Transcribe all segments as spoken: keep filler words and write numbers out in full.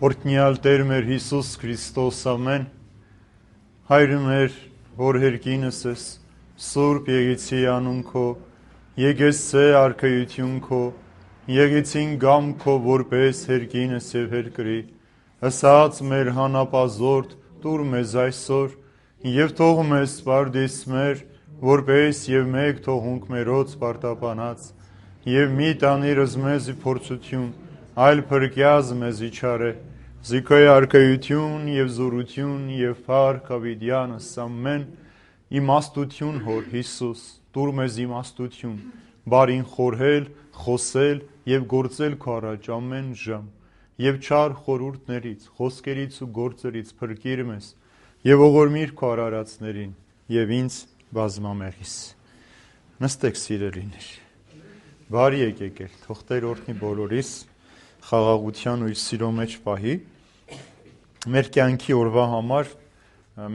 Օրհնյալ Տեր մեր Հիսուս Քրիստոս ամեն Հայրը մեր որ հերկինս ես Սուրբ Եղեցի անուն քո եկեցե արքայություն քո եկեցին գամ քո որպես հերկինս եւ հերկրի ասած մեր հանապազորդ տուր մեզ այսօր եւ թող մեզ սպարդիս մեր որպես եւ մեկ թողունք մերոց պարտապանած եւ մի տանիրս մեզ փորձություն այլ փրկյազ մեզ իչարե Զիքոյ արքայություն եւ զորություն եւ փառք ավիդյանս ամեն իմաստություն հոր Հիսուս տուր մեզ իմաստություն բարին խորհել խոսել եւ գործել քո առաջ ամեն ժամ եւ չար խորուրդներից խոսքերից ու գործերից փրկիր մեզ եւ ողորմիր քո արարածներին եւ ինձ բազմամեղիս նստեք սիրելիներ բարի եկեք ել թող Տեր օրհնի բոլորիս խաղաղության ու իր սիրո մեջ պահի մեր կյանքի օրվա համար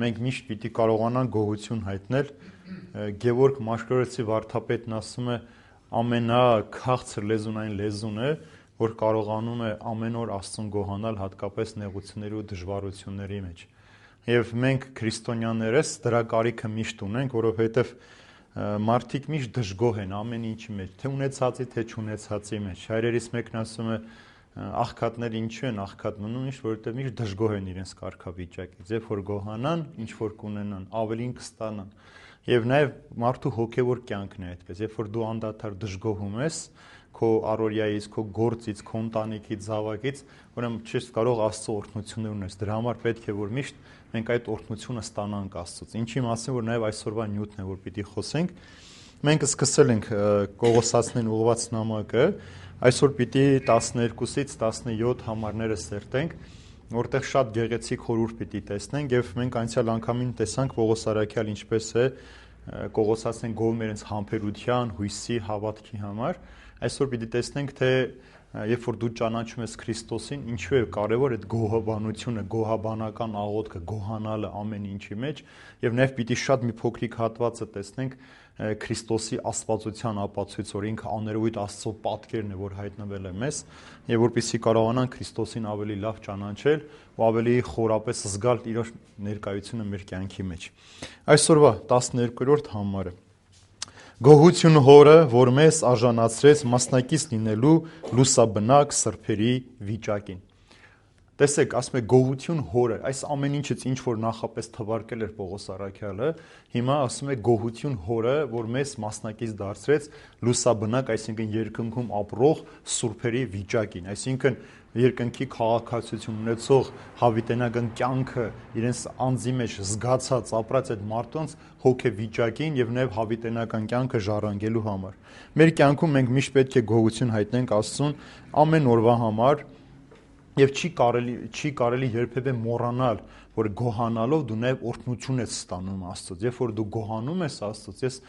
մենք միշտ պիտի կարողանանք գոհություն հայտնել Գևորգ Մաշկորեցի վարդապետն ասում է ամենաքաղցր լեզուն այն լեզուն է որ կարողանում է ամեն օր Աստծուն գոհանալ հատկապես նեղությունների ու դժվարությունների մեջ եւ մենք քրիստոնյաներս դրա կարիքը միշտ ունենք որովհետեւ մարդիկ միշտ դժգոհ են ամեն ինչի մեջ թե ունեցածի թե չունեցածի մեջ հայրերից մեկն ասում է աղքատներ ինչու են աղքատ մնում ինչ որովհետև միշտ դժգոհ են իրենց կարգավիճակից երբ որ գոհանան ինչ որ կունենան ավելին կստանան եւ նաեւ մարդու հոգեվոր կյանքն է այդպես երբ որ դու անդադար դժգոհում ես քո առօրյայից քո գործից քո ընտանիքից զավակից ուրեմն չես կարող Աստծո օրհնություններ ունես դրա համար պետք է որ միշտ մենք այդ օրհնությունը ստանանք Աստծոց ինչի մասին որ նաեւ այսօրվա նյութն է որ պիտի խոսենք մենք սկսել ենք Կողոսացներին ուղղված նամակը այսօր պիտի տասներկուսից տասնյոթ համարները սերտենք, որտեղ շատ գեղեցիկ խորհուրդ պիտի տեսնենք եւ մենք անցյալ անգամին տեսանք Պողոս Արաքյալ ինչպես է Կողոսացին գոհում իրենց համբերության, հույսի, հավատքի համար, այսօր պիտի տեսնենք թե երբ որ դու ճանաչում ես Քրիստոսին, ինչու է կարևոր այդ գոհաբանությունը, գոհաբանական աղոթքը, գոհանալը ամեն ինչի մեջ եւ նաեւ պիտի շատ մի փոքրիկ հատվածը տեսնենք Քրիստոսի աստվածության ապացույց, որ ինքը աներևույթ Աստծո պատկերն է, որ հայտնվել է մեզ, եւ որպեսզի կարողանանք Քրիստոսին ավելի լավ ճանաչել ու ավելի խորապես զգալ իր ներկայությունը մեր կյանքի մեջ։ Այսօրվա տասներկուերորդ համարը Գոհություն Հորը, որ մեզ արժանացրեց մասնակից լինելու լուսաբնակ սրբերի վիճակին։ Տեսեք, ասում է գոհություն Հորը, այս ամեն ինչից ինչ որ նախապես թվարկել էր Պողոս Արաքյալը, հիմա ասում է գոհություն Հորը, որ մեզ մասնակից դարձրեց լուսաբնակ, այսինքն երկնքում ապրող սուրբերի վիճակին, այսինքն երկնքի քաղաքացիություն ունեցող հավիտենական կյանքը իրենց անձի մեջ զգացած ապրած այդ մարդոնց հոգեվիճակին եւ նաեւ հավիտենական կյանքը ժառանգելու համար։ Մեր կյանքում մենք միշտ պետք է գոհություն հայտնենք Աստծուն ամեն օրվա համար եւ չի կարելի չի կարելի երբևէ մոռանալ որ գոհանալով դու նաեւ օրհնություն ես ստանում Աստծոց երբ որ դու գոհանում ես Աստծոց ես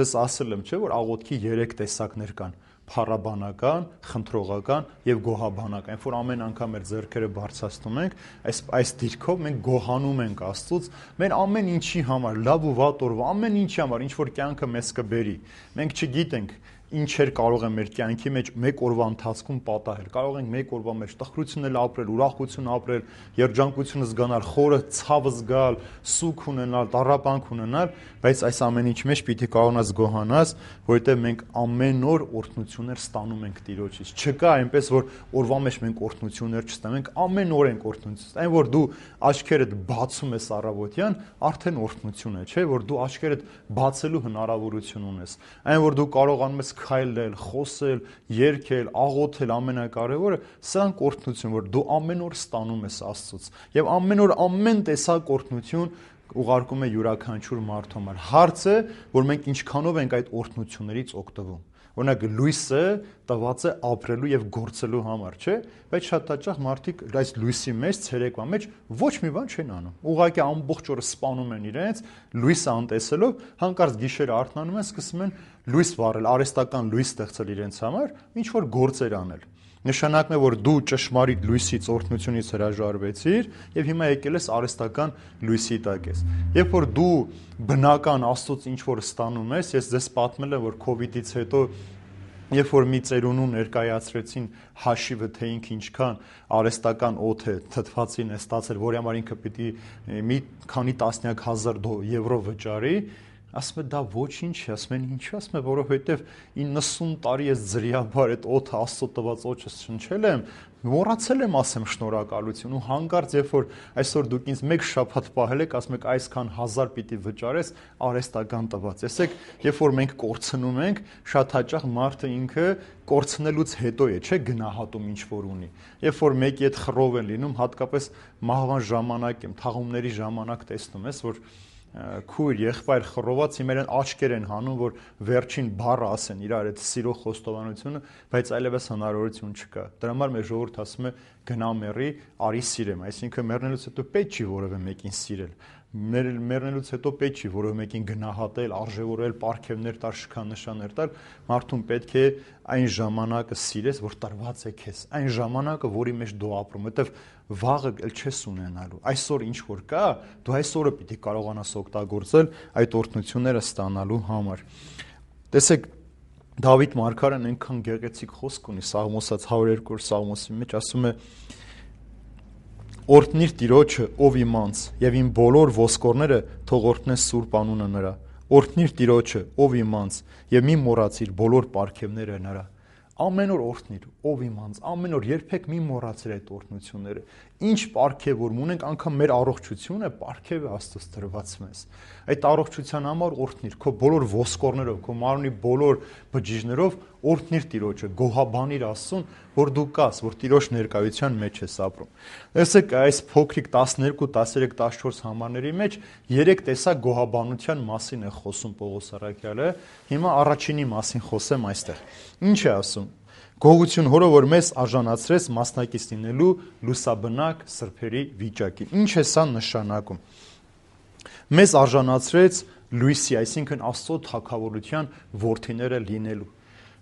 ձեզ ասել եմ չէ որ աղոթքի երեք տեսակներ կան փառաբանական, խնդրողական եւ գոհաբանական։ Երբ որ ամեն անգամ մեր ձեռքերը բարձրացնում ենք, այս այս դիրքով մենք գոհանում ենք Աստծուց, մեր ամեն ինչի համար, լավ ու վատ օրվա, ամեն ինչի համար, ինչ որ կյանքը մեզ կբերի։ Մենք չգիտենք ինչեր կարող են մեր կյանքի մեջ մեկ օրվա ընթացքում պատահել։ Կարող ենք մեկ օրվա մեջ տխրություններ ապրել, ուրախություն ապրել, երջանկություն զգանալ, խորը ցավ զգալ, սուգ ունենալ, տառապանք ունենալ, բայց այս ամեն ինչ մեջ պիտի կարողանաս գոհանաս, որովհետև մենք ամեն օր օրհնություններ ստանում ենք Տիրոջից։ Չկա այնպես որ օրվա մեջ մենք օրհնություններ չստանանք, ամեն օր ենք օրհնություն։ Այն որ դու աչքերդ բացում ես առավոտյան, արդեն օրհնություն է, չէ՞, որ դու աչքերդ բացելու հնարավորություն ունես։ Այն որ դու կարողանում ես քայլել, խոսել, երգել, աղոթել, ամենակարևորը, սրանք օրհնություն, որ դու ամեն օր ստանում ես Աստծուց։ Եվ ամեն օր ամեն տեսակ օրհնություն ուղարկում է յուրաքանչյուր մարդու համար։ Հարցը, որ մենք ինչքանով ենք այդ օրհնություններից օգտվում։ Օրինակ լույսը տված է ապրելու եւ գործելու համար, չէ՞, բայց շատ հաճախ մարդիկ այս լույսի մեջ, ցերեկվա մեջ ոչ մի բան չեն անում։ Ուղղակի ամբողջ օրը սպանում են իրենց, լույսը անտեսելով, հանկարծ գիշերը արթնանում են, սկսում են լույս վառել, արհեստական լույս ստեղծել իրենց համար, ինչ որ գործեր անել։ Նշանակն է, որ դու ճշմարիտ լույսից, օրհնությունից հրաժարվեցիր եւ հիմա եկել ես արհեստական լույսի տակ ես։ Երբ որ դու բնական Աստծոց ինչ որ ստանում ես, ես ձեզ պատմել եմ, որ COVID-ից հետո Երբ որ մի ծերունու ներկայացրեցին հաշիվը, թե ինքը ինչքան արհեստական օդ է թթվածին է ստացել, որի համար ինքը պիտի մի քանի տասնյակ հազար եվրո վճարի, ասում է դա ոչինչ է, ասում են ինչու, ասում է որովհետև իննսուն տարի ես ձրիաբար այդ օդը Աստծո տված օջը շնչել եմ, մոռացել եմ ասեմ շնորհակալություն ու հանկարծ երբ որ այսօր դուք ինձ մեկ շաբաթ պահել եք, ասում եք այսքան հազար պիտի վճարես արհեստական տված։ Տեսեք, երբ որ մենք կորցնում ենք, շատ հաճախ մարդը ինքը կորցնելուց հետո է, չէ, գնահատում ինչ որ ունի։ Երբ որ մեկի հետ խռով են լինում, հատկապես մահվան ժամանակ եմ, թաղումների ժամանակ տեսնում ես, որ քույր, եղբայր խռոված իրեն աչքեր են հանում, որ վերջին բառը ասեն իրար այդ սիրո խոստովանությունը, բայց այլևս հնարավորություն չկա։ Դրա համար մեր ժողովուրդը ասում է գնա մեռի, արի սիրեմ, այսինքն մեռնելուց հետո պետք չի որևէ մեկին սիրել։ Մեռնելուց հետո պետք չի որևէ մեկին գնահատել, արժևորել, պարգևներ տալ, շքանշաններ տալ, մարդուն պետք է այն ժամանակը սիրես, որ տրված է քեզ, այն ժամանակը, որի մեջ դու ապրում, որտեվ վաղը էլ չես ունենալու։ Այսօր ինչ որ կա, դու այսօրը պիտի կարողանաս օգտագործել այդ օրհնությունները ստանալու համար։ Տեսեք, Դավիթ մարգարեն այնքան գեղեցիկ խոսք ունի Սաղմոսած հարյուր երկու Սաղմոսի մեջ, ասում է. Օրհնիր Տիրոջը, ով իմ անձ, եւ իմ բոլոր ոսկորները թող օրհնեն սուրբ անունը նրա։ Օրհնիր Տիրոջը, ով իմ անձ, եւ մի մոռացիր բոլոր պարգևները նրա։ Ամեն օր օրհնիր, ով իմ անձ, ամեն օր երբեք մի մոռացիր այդ օրհնությունները։ Ինչ պարգև որ ունենք, անգամ մեր առողջությունը պարգև է Աստծոց տրված մեզ։ Այդ առողջության համար օրհնիր, քո բոլոր ոսկորներով, քո մարմնի բոլոր բջիջներով օրհնիր Տիրոջը, գոհաբանիր Աստծուն, որ դու կաս, որ Տիրոջ ներկայության մեջ ես ապրում։ Տեսեք, այս փոքրիկ տասներկու, տասներեք, տասնչորս համարների մեջ երեք տեսակ գոհաբանության մասին է խոսում Պողոս առաքյալը։ Հիմա առաջինի մասին խոսեմ այստեղ։ Ինչ է ասում։ Գողություն Հորը, որ մեզ արժանացրեց մասնակից լինելու լուսաբնակ սրբերի վիճակին։ Ինչ է սա նշանակում։ Մեզ արժանացրեց լույսի, այսինքն Աստծո թագավորության որդիները լինելու։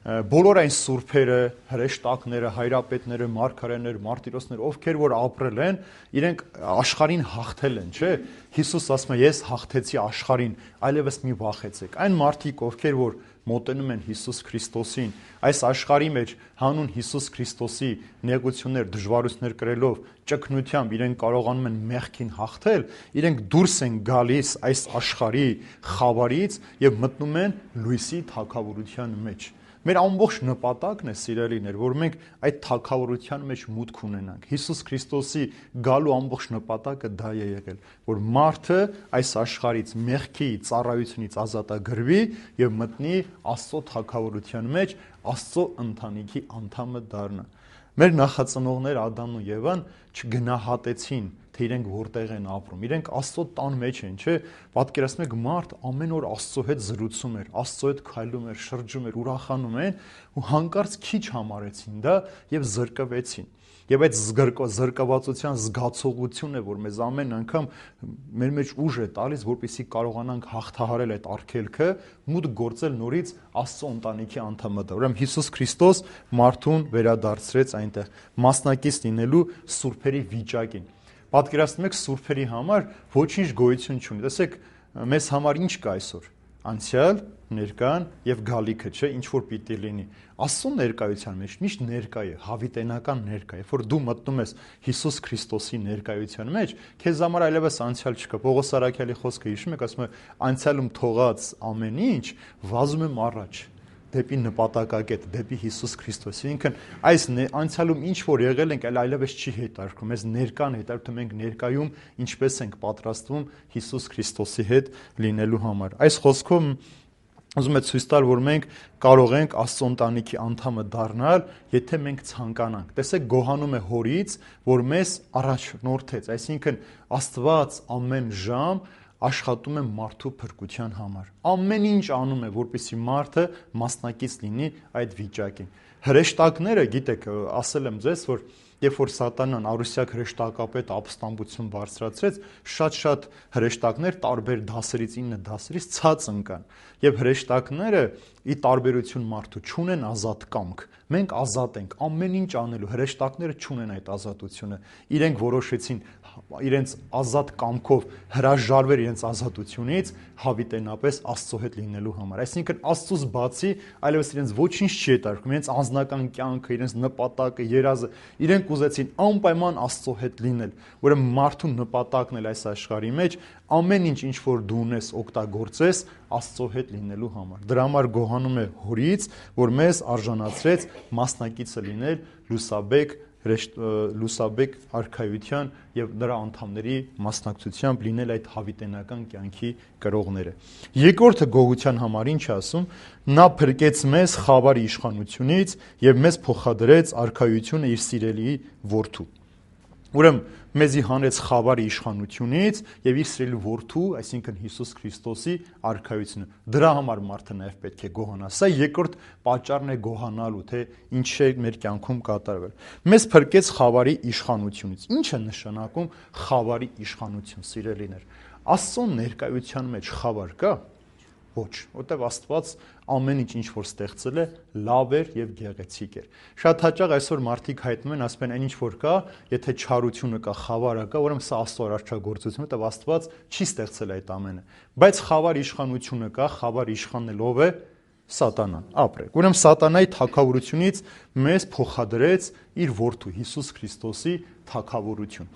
Բոլոր այն սուրբերը, հրեշտակները, հայրապետները, մարգարեները, մարտիրոսները, ովքեր որ ապրել են, իրենք աշխարհին հաղթել են, չէ՞։ Հիսուս ասում է, ես հաղթեցի աշխարհին, այլևս մի վախեցեք։ Այն մարդիկ, ովքեր որ մոտենում են Հիսուս Քրիստոսին, այս աշխարհի մեջ հանուն Հիսուս Քրիստոսի նեղություններ, դժվարություններ կրելով, ճգնությամբ իրենք կարողանում են մեղքին հաղթել, իրենք դուրս են գալիս այս աշխարհի խավարից եւ մտնում են լույսի թագավորության մեջ։ Մեր ամբողջ նպատակն է, սիրելիներ, որ մենք այդ թագավորության մեջ մուտք ունենանք։ Հիսուս Քրիստոսի գալու ամբողջ նպատակը դա է եղել, որ մարդը այս աշխարհից մեղքի ծառայությունից ազատագրվի եւ մտնի Աստծո թագավորության մեջ, Աստծո ընտանիքի անդամը դառնա։ Մեր նախածնողներ Ադամն ու Եվան չգնահատեցին, թե իրենք որտեղ են ապրում։ Իրենք Աստծո տան մեջ են, չէ՞։ Պատկերացնում եք, մարդ ամեն օր Աստծո հետ զրուցում էր, Աստծո հետ քայլում էր, շրջում էր, ուրախանում են, ու հանկարծ քիչ համարեցին դա եւ զրկվեցին։ Եվ այդ զրկվածության զգացողությունը, որ մեզ ամեն անգամ մեր մեջ ուժ է տալիս, որպեսզի կարողանանք հաղթահարել այդ արգելքը, մուտք գործել նորից Աստծո ընտանիքի անդամը դա։ Ուրեմն Հիսուս Քրիստոս մարդուն վերադարձրեց այնտեղ մասնակից լինելու սուրբերի վիճակին։ Պատկերացնում եք, սուրբերի համար ոչինչ գոյություն չունի։ Տեսեք, մեզ համար ինչ կա այսօր։ Անցյալ, ներկան եւ գալիքը, չէ, ինչ որ պիտի լինի։ Աստծո ներկայության մեջ միշտ ներկա է, հավիտենական ներկա է։ Երբ որ դու մտնում ես Հիսուս Քրիստոսի ներկայության մեջ, քեզ համար այլևս անցյալ չկա։ Պողոս առաքյալի խոսքը հիշում եք, ասում է, անցյալում թողած ամեն ինչ վազում եմ առաջ դեպի նպատակակետ, դեպի Հիսուս Քրիստոս։ Ինքն այս անցյալում ինչ որ եղել ենք, այլ այլևս չի հետարկում, մեզ ներկան հետարկում, մենք ներկայում ինչպես ենք պատրաստվում Հիսուս Քրիստոսի հետ լինելու համար։ Այս խոսքով ուզում եմ ցույց տալ, որ մենք կարող ենք Աստծո ընտանիքի անդամը դառնալ, եթե մենք ցանկանանք։ Տեսեք, գոհանում է Հորից, որ մեզ առաջնորդեց, այսինքն Աստված ամեն ժամ աշխատում է մարդու փրկության համար։ Ամեն ինչ անում է, որպեսզի մարդը մասնակից լինի այդ վիճակին։ Հրեշտակները, գիտեք, ասել եմ ձեզ, որ երբ որ Սատանան Արուսյակ հրեշտակապետ ապստամբություն բարձրացրեց, շատ-շատ հրեշտակներ տարբեր դասերից ինը դասերից ցած ընկան։ Եվ հրեշտակները ի տարբերություն մարդու չունեն ազատ կամք։ Մենք ազատ ենք ամեն ինչ անելու, հրեշտակները չունեն այդ ազատությունը։ Իրենք որոշեցին իրենց ազատ կամքով հրաժարվել իրենց ազատությունից հավիտենապես Աստծո հետ լինելու համար։ Այսինքն Աստծուց բացի այլևս իրենց ոչինչ չի հետաքրքրում, իրենց անձնական կյանքը, իրենց նպատակը, երազը, իրենք ուզեցին անպայման Աստծո հետ լինել։ Ուրեմն մարդու նպատակն էլ այս աշխարհի մեջ ամեն ինչ, ինչ որ դու ունես, օգտագործես Աստծո հետ լինելու համար։ Դրա համար գոհանում է Հորից, որ մեզ արժանացրեց մասնակիցը լինել լուսաբեկ լուսաբեկ արքայության եւ նրա անդամների մասնակցությամբ լինել այդ հավիտենական կյանքի կրողները։ Երկրորդը գողության համար ինչ ասում, նա փրկեց մեզ խավարի իշխանությունից եւ մեզ փոխադրեց արքայությունը իր սիրելի որդու։ Ուրեմն մեզի հանեց խավարի իշխանությունից եւ իր սիրելի որդու, այսինքն Հիսուս Քրիստոսի արքայությունը։ Դրա համար մարդը նաեւ պետք է գոհանա։ Սա երկրորդ պատճառն է գոհանալու, թե ինչ է մեր կյանքում կատարվել։ Մեզ փրկեց խավարի իշխանությունից։ Ինչ է նշանակում խավարի իշխանություն, սիրելիներ։ Աստծո ներկայության մեջ խավար կա։ Ոչ, որտեվ Աստված ամեն ինչ ինչ որ ստեղծել է լավ էր եւ գեղեցիկ էր։ Շատ հաճախ այսօր մարդիկ հայտնում են, ասում են, այն ինչ որ կա, եթե չարությունը կա, խավարը կա, ուրեմն սա Աստծո արարչագործությունը, որտեվ Աստված չի ստեղծել այդ ամենը։ Բայց խավար իշխանությունը կա, խավար իշխանն ով է։ Սատանան, ապրեք։ Ուրեմն Սատանայի թագավորությունից մեզ փոխադրեց իր որդու Հիսուս Քրիստոսի թագավորություն։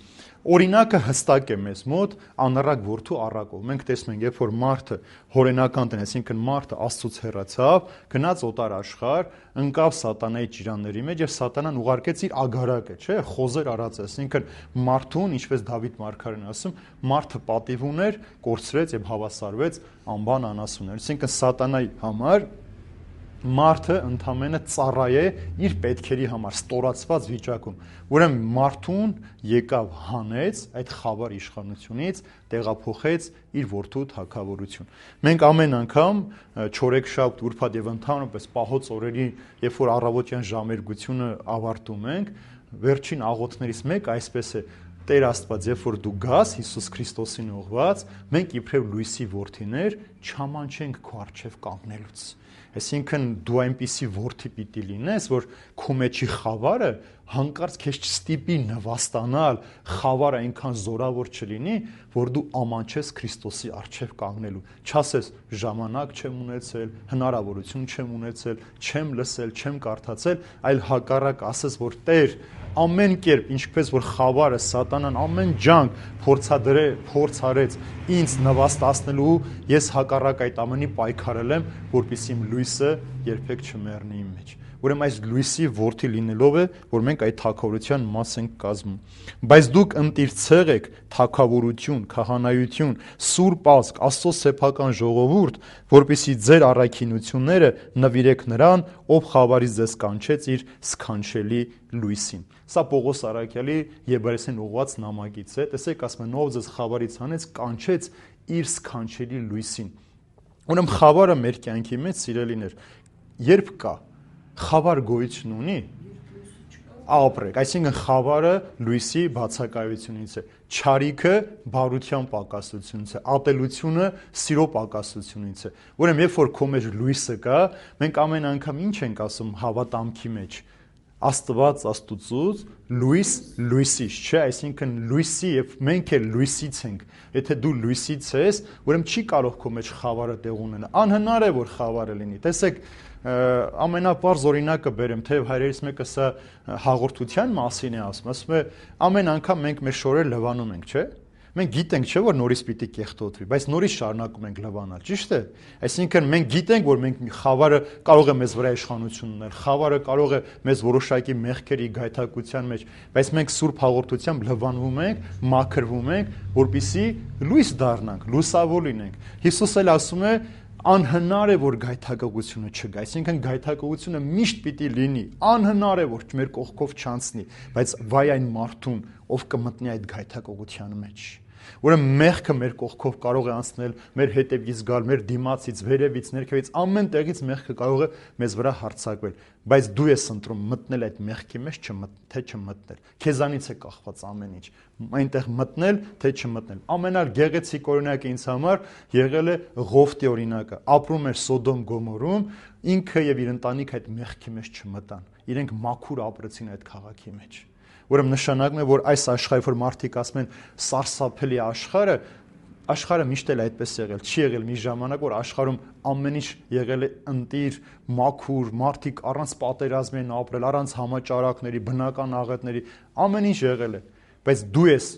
Օրինակը հստակ է մեզ մոտ անառակ որդու առակով։ Մենք տեսնում ենք, երբ որ մարդը հորենական տնես, այսինքն մարդը Աստծուց հեռացավ, գնաց օտար աշխարհ, ընկավ Սատանայի ճիրանների մեջ եւ Սատանան ուղարկեց իր ագարակը, չէ՞, խոզեր արած, այսինքն մարդուն, ինչպես Դավիթ մարգարեն ասում, մարդը պատիվ ուներ, կորցրեց եւ հավասարվեց անբան անասուններ։ Այսինքն Սատանայի համար մարդը ընդամենը ծառայ է իր պետքերի համար ստորացված վիճակում։ Ուրեմն մարդուն եկավ հանեց այդ խավար իշխանությունից, տեղափոխեց իր որդու թագավորություն։ Մենք ամեն անգամ չորեքշաբթ, ուրբաթ եւ ընդհանրապես պահոց օրերի, երբ որ առավոտյան ժամերգությունը ավարտում ենք, վերջին աղոթներից մեկը այսպես է. Տեր Աստված, երբ որ դու գաս Հիսուս Քրիստոսին ուղղված, մենք իբրև լույսի որդիներ չամանչենք քո առջև կանգնելուց։ Այսինքն դու այնպիսի որդի պիտի լինես, որ քո մեջի խավարը հանկարծ քեզ չստիպի նվաստանալ, խավարը այնքան զորավոր չլինի, որ դու ամանչես Քրիստոսի առջև կանգնելու։ Չասես ժամանակ չեմ ունեցել, հնարավորություն չեմ ունեցել, չեմ լսել, չեմ կարդացել, այլ հակառակ ասես, որ Տեր, ամեն կերպ, ինչպես որ խավարը Սատանան ամեն ջանք փորձադրե, փորձարեց ինձ նվաստացնելու, ես հակառակ այդ ամենի պայքարել եմ, որպեսզի իմ լույսը երբեք չմեռնի իմ մեջ։ Ուրեմն այս լույսի որդի լինելով է, որ մենք այդ թագավորության մաս ենք կազմում։ Բայց դուք ընտիր եք թագավորություն, քահանայություն, սուրբ ազգ, Աստծո սեփական ժողովուրդ, որպեսզի ձեր առաքինությունները նվիրեք նրան, ով խավարից ձեզ կանչեց իր սքանչելի լույսին։ Սա Պողոս Արաքյալի Եբրայեցին ուղղված նամակից է։ Տեսեք, ասում են, ով ձեզ խավարից հանեց, կանչեց իր սքանչելի լույսին։ Ուրեմն խավարը մեր կյանքի մեջ, սիրելիներ, երբ կա, խավար գոյություն ունի, ապրեք, այսինքն խավարը լույսի բացակայությունից է, չարիքը բարության պակասությունից է, ատելությունը սիրո պակասությունից է։ Ուրեմն երբ որ քո մեջ լույսը կա, մենք ամեն անգամ ինչ ենք ասում հավատամքի մեջ, Աստված Աստուծուց, լույս լույսից, չէ, այսինքն լույսի եւ մենք էլ լույսից ենք։ Եթե դու լույսից ես, ուրեմն չի կարող քո մեջ խավարը տեղ ունենալ։ Անհնար է որ խավարը լինի։ Տեսեք, ամենապարզ օրինակը բերեմ, թեև հայրերից մեկը սա հաղորդության մասին է ասում, ասում է ամեն անգամ մենք մեր շորերը լվանում ենք, չէ՞։ Մենք գիտենք, չէ՞ որ նորից պիտի կեղտոտվի, բայց նորից շարունակում ենք լվանալ, ճիշտ է։ Այսինքն մենք գիտենք, որ մենք խավարը կարող է մեզ վրա իշխանություն ունել, խավարը կարող է մեզ որոշակի մեղքերի գայթակղության մեջ, բայց մենք սուրբ հաղորդությամբ լվանվում ենք, մաքրվում ենք, որպեսզի լույս դառնանք, լուսավոր լինենք։ Հիսուս էլ ասում է, անհնար է որ գայթակղությունը չգա, այսինքն գայթակղությունը միշտ պիտի լինի, անհնար է որ մեր կողքով չանցնի, բայց վայ այն մարդուն, ով կմտնի այդ գայթակղության մեջ։ Ուրեմն մեղքը մեր կողքով կարող է անցնել, մեր հետևից գալ, մեր դիմացից, վերևից, ներքևից, ամեն տեղից մեղքը կարող է մեզ վրա հարձակվել, բայց դու ես ընտրում մտնել այդ մեղքի մեջ, թե չմտնել։ Քեզանից է կախված ամեն ինչ։ Այնտեղ մտնել, թե չմտնել։ Ամենագեղեցիկ օրինակը ինձ համար եղել է Ղովտի օրինակը։ Ապրում էր Սոդոմ Գոմորում, ինքը եւ իր ընտանիքը այդ մեղքի մեջ չմտան։ Իրենք մաքուր ապրեցին այդ քաղաքի մեջ։ Ուրեմն նշանակում է, որ այս աշխարհը, որ մարդիկ ասում են սարսափելի աշխարհը, աշխարհը միշտ էլ այդպես եղել, չի եղել մի ժամանակ, որ աշխարհում ամեն ինչ եղել է ընտիր, մաքուր, մարդիկ առանց պատերազմի են ապրել, առանց համաճարակների, բնական աղետների, ամեն ինչ եղել է, բայց դու ես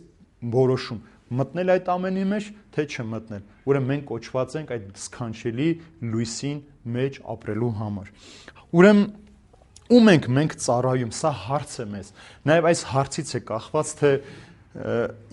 որոշում մտնել այդ ամենի մեջ, թե չմտնել։ Ուրեմն մենք կոչված ենք այդ սքանչելի լույսին մեջ ապրելու համար։ Ուրեմն ում ենք մենք ծառայում, սա հարց է մեզ։ Նաև այս հարցից է կախված, թե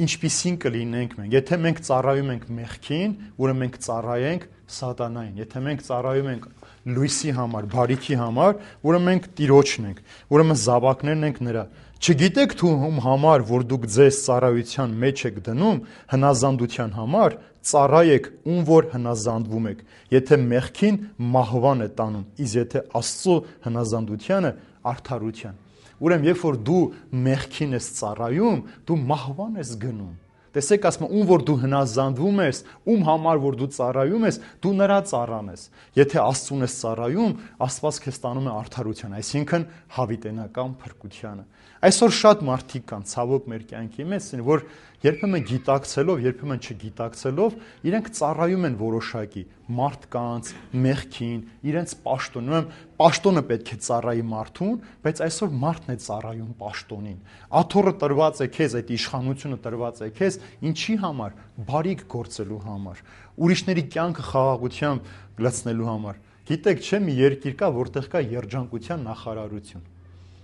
ինչպիսին կլինենք մենք։ Եթե մենք ծառայում ենք մեղքին, ուրեմն մենք ծառայենք սատանային։ Եթե մենք ծառայում ենք լույսի համար, բարիքի համար, ուրեմն մենք Տիրոջն ենք։ Ուրեմն զավակներն ենք նրա։ Չգիտեք თუ ում համար, որ դուք ձեզ ծառայության մեջ եք դնում, հնազանդության համար, ծառայեք ում որ հնազանդվում եք։ Եթե մեղքին մահվան է տանում, իսկ եթե Աստծո հնազանդությանը արդարության։ Ուրեմն երբ որ դու մեղքին ես ծառայում, դու մահվան ես գնում։ Տեսեք, ասում եմ, ում որ դու հնազանդվում ես, ում համար որ դու ծառայում ես, դու նրա ծառան ես։ Եթե Աստծուն ես ծառայում, Աստված քեզ տանում է արդարության, այսինքն հավիտենական փրկությանը։ Այսօր շատ մարդիկ կան, ցավոք մեր կյանքի մեջ, որ երբեմն գիտակցելով, երբեմն չգիտակցելով, իրենք ծառայում են որոշակի մարդկանց, մեղքին, իրենց պաշտոնում են, պաշտոնը պետք է ծառայի մարդուն, բայց այսօր մարդն է ծառայում պաշտոնին։ Աթոռը տրված է քեզ, այդ իշխանությունը տրված է քեզ, ինչի համար, բարիք գործելու համար, ուրիշների կյանքը խաղաղությամբ լցնելու համար։ Գիտեք, չէ՞ մի երկիր կա, որտեղ կա երջանկության նախարարություն։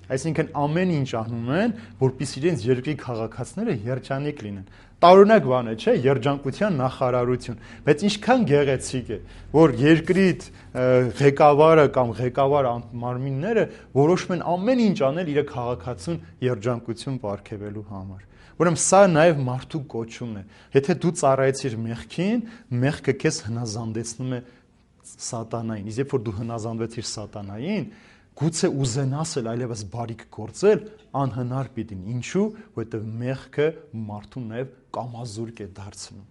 Այսինքն ամեն ինչ անում են, որպեսզի իրենց երկրի քաղաքացիները երջանիկ լինեն։ Տարօրինակ բան է, չէ՞, երջանկության նախարարություն, բայց ինչքան գեղեցիկ է, որ երկրի ղեկավարը կամ ղեկավար մարմինները որոշում են ամեն ինչ անել իր քաղաքացուն երջանկություն պարգևելու համար։ Ուրեմն սա նաև մարդու կոչումն է։ Եթե դու ծառայեցիր մեղքին, մեղքը քեզ հնազանդեցնում է սատանային։ Իսկ երբ որ դու հնազանդվեցիր սատանային, գուցե ուզենաս էլ այլևս բարիք գործել, անհնար պիտին։ Ինչու՞, որովհետև մեղքը մարդուն նաև կամազուրկ է դարձնում։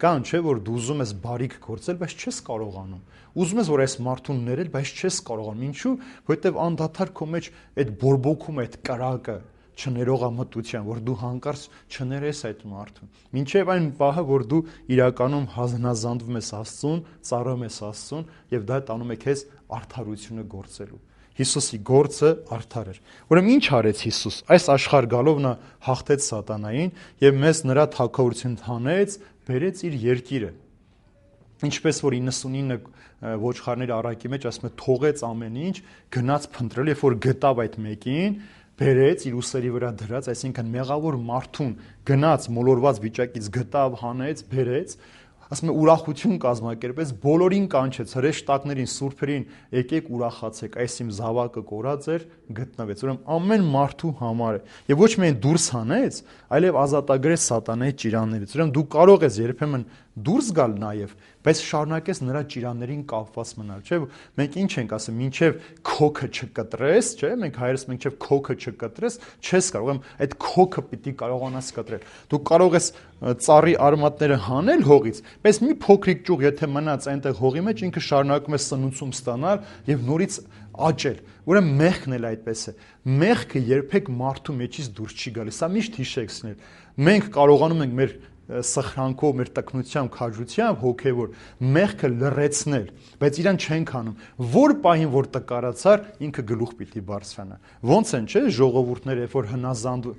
Կան չէ, որ դու ուզում ես բարիք գործել, բայց չես կարողանում։ Ուզում ես որ այս մարդուն ներել, բայց չես կարողանում։ Ինչու՞, որովհետև անդադար քո մեջ այդ բորբոքում է այդ կրակը, չներողամտության, որ դու հանկարծ չներես այդ մարդուն։ Մինչև այն պահը, որ դու իրականում հնազանդվում ես Աստծուն, ծառայում ես Աստծուն, եւ դա տանում է քեզ արդարությունը գործելու։ Հիսուսի գործը արդար էր։ Ուրեմն ինչ արեց Հիսուս։ Այս աշխարհ գալով նա հաղթեց սատանային եւ մեզ նրա թագավորություն հանեց, բերեց իր երկիրը։ Ինչպես որ իննսունինը ոչխարների առակի մեջ ասում է թողեց ամեն ինչ, գնաց փնտրել, երբ որ գտավ այդ մեկին, բերեց իր ուսերի վրա դրած, այսինքն մեղավոր մարդուն գնաց մոլորված վիճակից գտավ, հանեց, բերեց, ասում է ուրախություն կազմակերպեց, բոլորին կանչեց, հրեշտակներին, սուրբերին, եկեք ուրախացեք, այս իմ զավակը կորած էր, գտնվեց։ Ուրեմն ամեն մարդու համար է։ Եվ ոչ միայն դուրս հանեց, այլև ազատագրեց սատանայի ճիրաններից։ Ուրեմն դու կարող ես երբեմն դուրս գալ նաև, բայց շարունակես նրա ճիրաններին կապված մնալ, չէ՞։ Մենք ինչ ենք ասում, մինչև քոքը չկտրես, չէ՞, մենք հայերս մինչև քոքը չկտրես, չես կարող, ուրեմն այդ քոքը պիտի կարողանաս կտրել։ Դու կարող ես ծառի արմատները հանել հողից, բայց մի փոքրիկ ճյուղ եթե մնաց այնտեղ հողի մեջ, ինքը շարունակում է սնուցում ստանալ եւ նորից աճել։ Ուրեմն մեղքն էլ այդպես է։ Մեղքը երբեք մարդու մեջից դուրս չի գալիս։ Սա միշտ հիշեցնել։ Մենք կարողանում ենք մեր սխրանքով, մեր տկնությամբ, քաջությամբ հոգևոր մեղքը լրացնել, բայց իրան չենք անում։ Որ պահին որ տկարացար, ինքը գլուխ պիտի բարձրանա։ Ոնց են, չէ՞, ժողովուրդները, երբ որ հնազանդ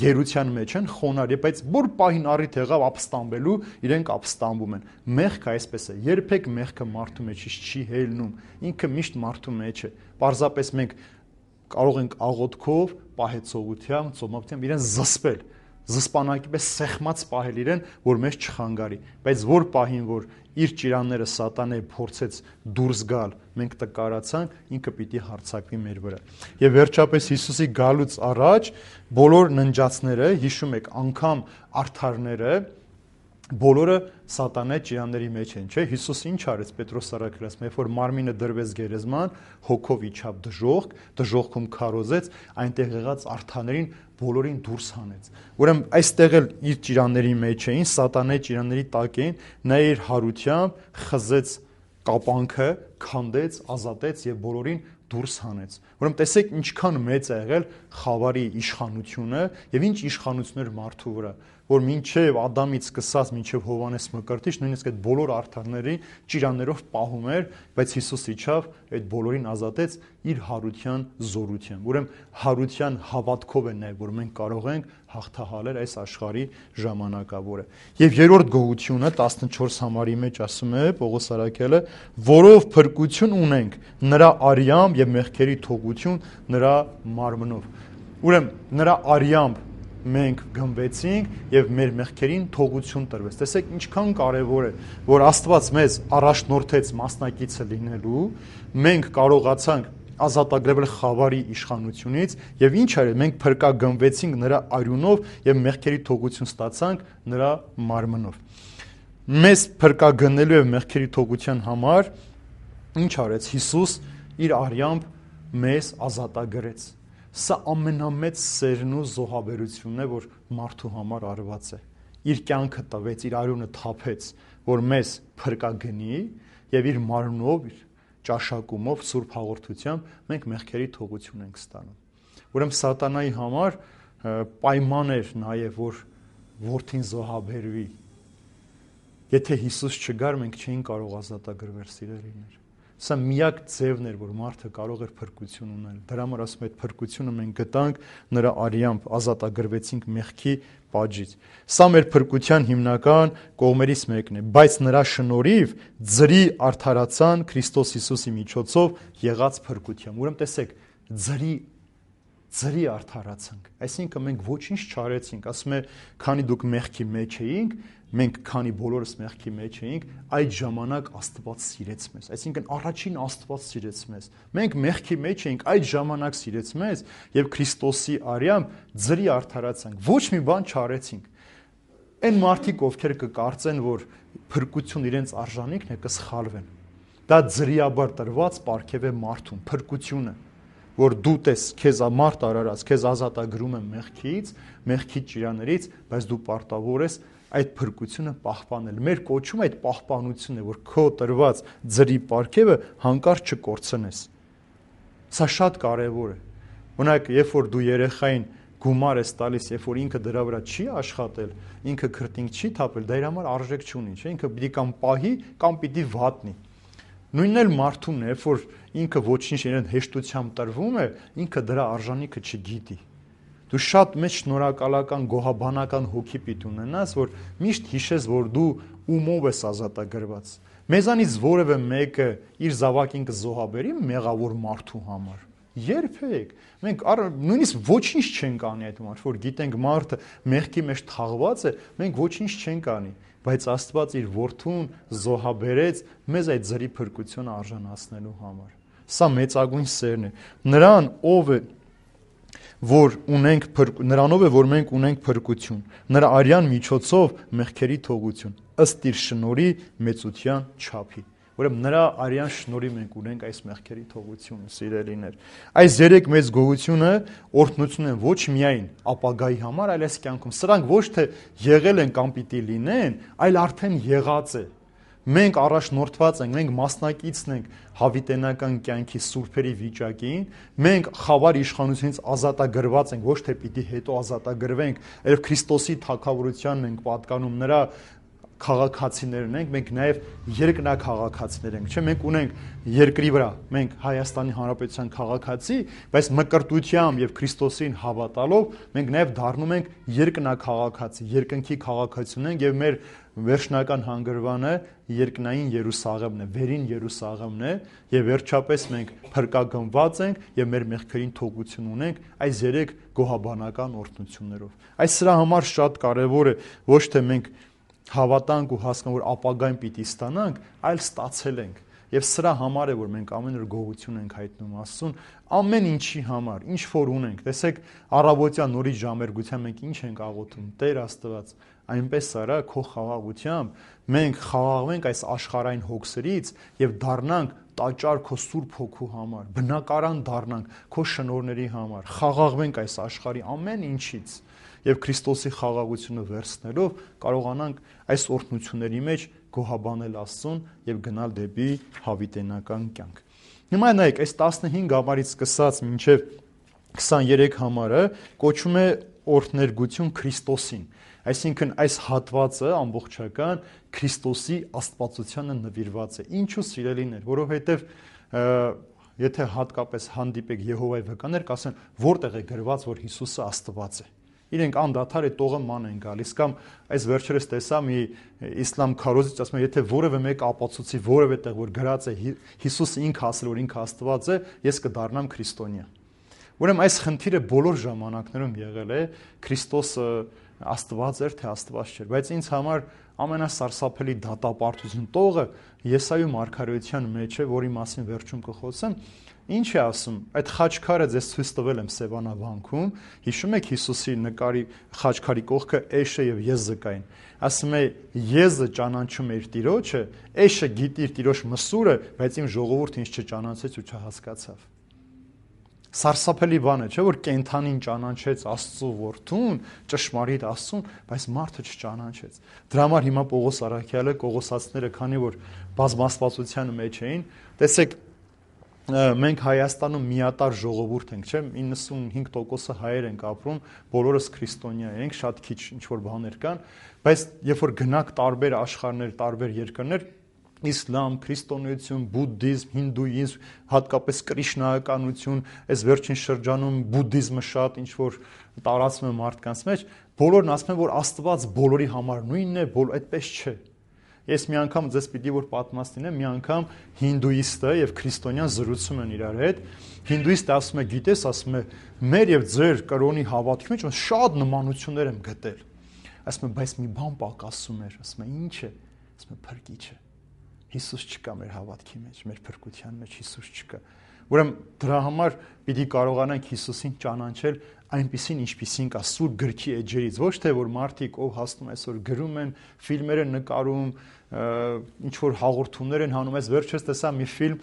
գերության մեջ են, խոնարհ, բայց որ պահին առիթ եղավ ապստամբելու, իրենք ապստամբում են։ Մեղքը այսպես է։ Երբեք մեղքը մարդու մեջից չի հելնում։ Ինքը միշտ մարդու մեջ է։ Պարզապես մենք կարող ենք աղոթքով, պահեցողությամբ, ծոմապությամբ իրեն զսպել, զսպանակի պես սեղմած պահել իրեն, որ մեզ չխանգարի, բայց որ պահին, որ իր ճիրանները սատանե փորձեց դուրս գալ, մենք տկարացանք, ինքը պիտի հարձակվի մեր վրա։ Եվ վերջապես Հիսուսի գալուց առաջ բոլոր ննջածները, հիշում եք, անգամ արդարները, բոլորը սատանայի ճիրանների մեջ են, չէ՞։ Հիսուս ինչ արեց Պետրոս առաքյալը, երբ որ մարմինը դրվեց գերեզման, հոգով իջավ դժոխք, դժոխքում քարոզեց, այնտեղ եղած արթաներին բոլորին դուրս հանեց։ Ուրեմն այստեղ էլ իր ճիրանների մեջ էին, սատանայի ճիրանների տակ էին, նա իր հարությամբ խզեց կապանքը, քանդեց, ազատեց եւ բոլորին դուրս հանեց։ Ուրեմն տեսեք ինչքան մեծ է եղել խավարի իշխանությունը եւ ինչ իշխանություններ մարդու վրա, որ մինչև Ադամից սկսած մինչև Հովանես Մկրտիչ նույնիսկ այդ բոլոր արդարների ճիրաններով պահում էր, բայց Հիսուս իջավ այդ բոլորին ազատեց իր հարության զորությամբ։ Ուրեմն հարության հավատքով է նաև որ մենք կարող ենք հաղթահարել այս աշխարհի ժամանակավորը։ Եվ երրորդ գողությունը տասնչորս համարի մեջ ասում է Պողոս առաքյալը, որով փրկություն ունենք նրա արյամբ եւ մեղքերի թողություն նրա մարմնով։ Ուրեմն նրա արյամբ մենք գնվեցինք եւ մեր մեղքերին թողություն տրվեց։ Տեսեք ինչքան կարեւոր է, որ Աստված մեզ առաջնորդեց մասնակիցը լինելու, մենք կարողացանք ազատագրվել խավարի իշխանությունից եւ ինչ արել, մենք փրկագնվեցինք նրա արյունով եւ մեղքերի թողություն ստացանք նրա մարմնով։ Մեզ փրկագնելու եւ մեղքերի թողության համար ինչ արեց Հիսուս իր արյամբ մեզ ազատագրեց։ Սա ամենամեծ սերն ու զոհաբերությունն է, որ մարդու համար արված է։ Իր կյանքը տվեց, իր արյունը թափեց, որ մեզ փրկագնի եւ իր մարմնով, իր ճաշակումով, սուրբ հաղորդությամբ մենք մեղքերի թողություն ենք ստանում։ Ուրեմն սատանայի համար պայման էր նաեւ, որ որդին զոհաբերվի։ Եթե Հիսուս չգար, մենք չէինք կարող ազատագրվել, սիրելիներ։ Սա միակ ձևն էր, որ մարդը կարող էր փրկություն ունել։ Դրա համար ասում եմ, այդ փրկությունը մենք գտանք նրա արյամբ, ազատագրվեցինք մեղքի պատժից։ Սա մեր փրկության հիմնական կողմերից մեկն է, բայց նրա շնորհիվ ձրի արդարացան Քրիստոս Հիսուսի միջոցով եղած փրկությամբ։ Ուրեմն տեսեք, ձրի ձրի արդարացանք, այսինքն մենք ոչինչ չարեցինք, ասում է, քանի դուք մեղքի մեջ էինք, մենք քանի բոլորս մեղքի մեջ էինք, այդ ժամանակ Աստված սիրեց մեզ, այսինքն առաջին Աստված սիրեց մեզ, մենք մեղքի մեջ էինք, այդ ժամանակ սիրեց մեզ եւ Քրիստոսի արյամբ ձրի արդարացանք, ոչ մի բան չարեցինք։ Այն մարդիկ, ովքեր կկարծեն, որ փրկություն իրենց արժանիքն է, կսխալվեն։ Դա ձրիաբար տրված պարգև է մարդուն, փրկությունը, որ դու տես քեզ մարդ արարած, քեզ ազատագրում է մեղքից, մեղքի ճիրաներից, բայց դու պարտավոր ես այդ փրկությունը պահպանել։ Մեր կոչումը այդ պահպանությունն է, որ քո տրված ձրի պարգևը հանկարծ չկորցնես։ Սա շատ կարևոր է։ Օրինակ, երբ որ դու երեխային գումար ես տալիս, երբ որ ինքը դրա վրա չի աշխատել, ինքը քրտինք չի թափել, դա իր համար արժեք չունի, չէ՞, ինքը պիտի կամ պահի, կամ պիտի վատնի։ Նույնն էլ մարդուն է, որ ինքը ոչինչ իրեն հեշտությամբ տրվում է, ինքը դրա արժանիքը չգիտի։ Դու շատ մեծ շնորհակալական գոհաբանական հոգի պիտի ունենաս, որ միշտ հիշես, որ դու ումով ես ազատագրված։ Մեզանից որևէ մեկը իր զավակին կզոհաբերի մեղավոր մարդու համար։ Երբեք։ Մենք նույնիսկ ոչինչ չենք անի այդ մարդը, որ գիտենք մարդը մեղքի մեջ թաղված է, մենք ոչինչ չենք անի, բայց Աստված իր որդուն զոհաբերեց մեզ այդ ձրի փրկությունը արժանացնելու համար։ Սա մեծագույն սերն է։ Նրան, ով է, որ ունենք նրանով է, որ մենք ունենք փրկություն, նրա արյան միջոցով մեղքերի թողություն, ըստ իր շնորհի մեծության չափի։ Ուրեմն նրա արյան շնորհի մենք ունենք այս մեղքերի թողությունը, սիրելիներ։ Այս երեք մեծ գողությունը օրհնություն են ոչ միայն ապագայի համար, այլ այս կյանքում։ Սրանք ոչ թե եղել են կամ պիտի լինեն, այլ արդեն եղած է։ Մենք առաջնորդված ենք, մենք մասնակիցն ենք հավիտենական կյանքի սուրբերի վիճակին, մենք խավար իշխանությունից ազատագրված ենք, ոչ թե պիտի հետո ազատագրվենք, այլ Քրիստոսի թագավորությանն ենք պատկանում, նրա քաղաքացիներն ենք, մենք նաև երկնակաղաքացիներ ենք, չէ՞, մենք ունենք երկրի վրա, մենք Հայաստանի Հանրապետության քաղաքացի, բայց մկրտությամբ եւ Քրիստոսին հավատալով մենք նաև դառնում ենք երկնակաղաքացի, երկնքի քաղաքացիություն ենք եւ մեր վերջնական հանգրվանը երկնային Երուսաղեմն է, վերին Երուսաղեմն է եւ վերջապես մենք փրկագնված ենք եւ մեր մեղքերին թողություն ունենք այս երեք գոհաբանական օրհնություններով։ Այս սրա համար շատ կարեւոր է ոչ թե մենք հավատանք ու հասկանանք, որ ապագային պիտի ստանանք, այլ ստացել ենք։ Եվ սրա համար է, որ մենք ամեն օր գոհություն ենք հայտնում Աստծուն, ամեն ինչի համար, ինչ որ ունենք։ Տեսեք, առավոտյան նորից ժամերգության մենք ինչ ենք աղոթում. Տեր Աստված, այնպես արա քո խաղաղությամբ մենք խաղաղվենք այս աշխարհային հոգսերից եւ դառնանք տաճար քո Սուրբ Հոգու համար, բնակարան դառնանք քո շնորհների համար, խաղաղվենք այս աշխարհի ամեն ինչից եւ Քրիստոսի խաղաղությունը վերցնելով կարողանանք այս օրհնությունների մեջ գոհաբանել Աստծուն եւ գնալ դեպի հավիտենական կյանք։ Հիմա նայեք, այս տասնհինգ համարից սկսած մինչեւ քսաներեք համարը կոչվում է օրհներգություն Քրիստոսին։ Այսինքն այս հատվածը ամբողջական Քրիստոսի աստվածությանը նվիրված է։ Ինչու սիրելիներ, որովհետև եթե հատկապես հանդիպեք Եհովայի վկաներ, կասեն, որտեղ է գրված, որ Հիսուսը Աստված է։ Իրենք անդադար է տողը ման են գալիս կամ այս վերջերս տեսա մի իսլամ քարոզիչ ասում է, եթե որևէ մեկ ապացուցի որևէ տեղ որ գրած է Հիսուսը ինքը ասել որ ինքը Աստված է, ես կդառնամ քրիստոնյա։ Ուրեմն այս խնդիրը բոլոր ժամանակներում եղել է, Քրիստոսը Աստված էր, թե Աստված չէր, բայց ինձ համար ամենասարսափելի դատապարտություն տողը Եսայու մարգարեության մեջ է, որի մասին վերջում կխոսեմ, ինչ է ասում, այդ խաչքարը ձեզ ցույց տվել եմ Սևանավանքում, հիշում եք Հիսուսի նկարի խաչքարի կողքը Էշը եւ Եզկային, ասում է Եզը ճանաչում է իր Տիրոջը, Էշը գիտի իր Տիրոջ մսուրը, բայց իմ ժողովուրդը ինձ չճանաչեց ու չհասկացավ։ Սարսափելի բան է, չէ՞ որ կենթանին ճանաչեց Աստծո որդուն, ճշմարիտ Աստծուն, բայց մարդը չճանաչեց։ Դրա համար հիմա Պողոս առաքյալը, Կողոսացիները, քանի որ բազմաստվածության մեջ էին, տեսեք, մենք Հայաստանում միատար ժողովուրդ ենք, չէ՞, իննսունհինգ տոկոսը հայեր ենք ապրում, բոլորս քրիստոնյա ենք, շատ քիչ ինչ որ բաներ կան, բայց երբ որ գնաք տարբեր աշխարհներ, տարբեր երկրներ, իսլամ, քրիստոնեություն, բուդդիզմ, հինդուիզմ, հատկապես կրիշնայականություն, այս վերջին շրջանում բուդդիզմը շատ ինչ որ տարածվում է մարդկանց մեջ, բոլորն ասում են, որ Աստված բոլորի համար նույնն է, բոլոր այդպես չէ։ Ես մի անգամ ձեզ պիտի որ պատմաստին եմ, մի անգամ հինդուիստը եւ քրիստոնյան զրուցում են իրար հետ։ Հինդուիստը ասում է, գիտես, ասում է, մեր եւ ձեր կրոնի հավատքի մեջ շատ նմանություններ եմ գտել։ Ասում է, բայց մի բան պակասում էր, ասում է, ի՞նչ է։ Ասում է, փրկիչը։ Հիսուս չկա մեր հավատքի մեջ, մեր փրկության մեջ Հիսուս չկա։ Ուրեմն դրա համար պիտի կարողանանք Հիսուսին ճանաչել այնպիսին, ինչպիսին կա Սուրբ գրքի էջերից, ոչ թե որ մարդիկ ով հասնում այսօր գրում են, ֆիլմեր են նկարում, ինչ որ հաղորդումներ են հանում, այս վերջերս տեսա մի ֆիլմ,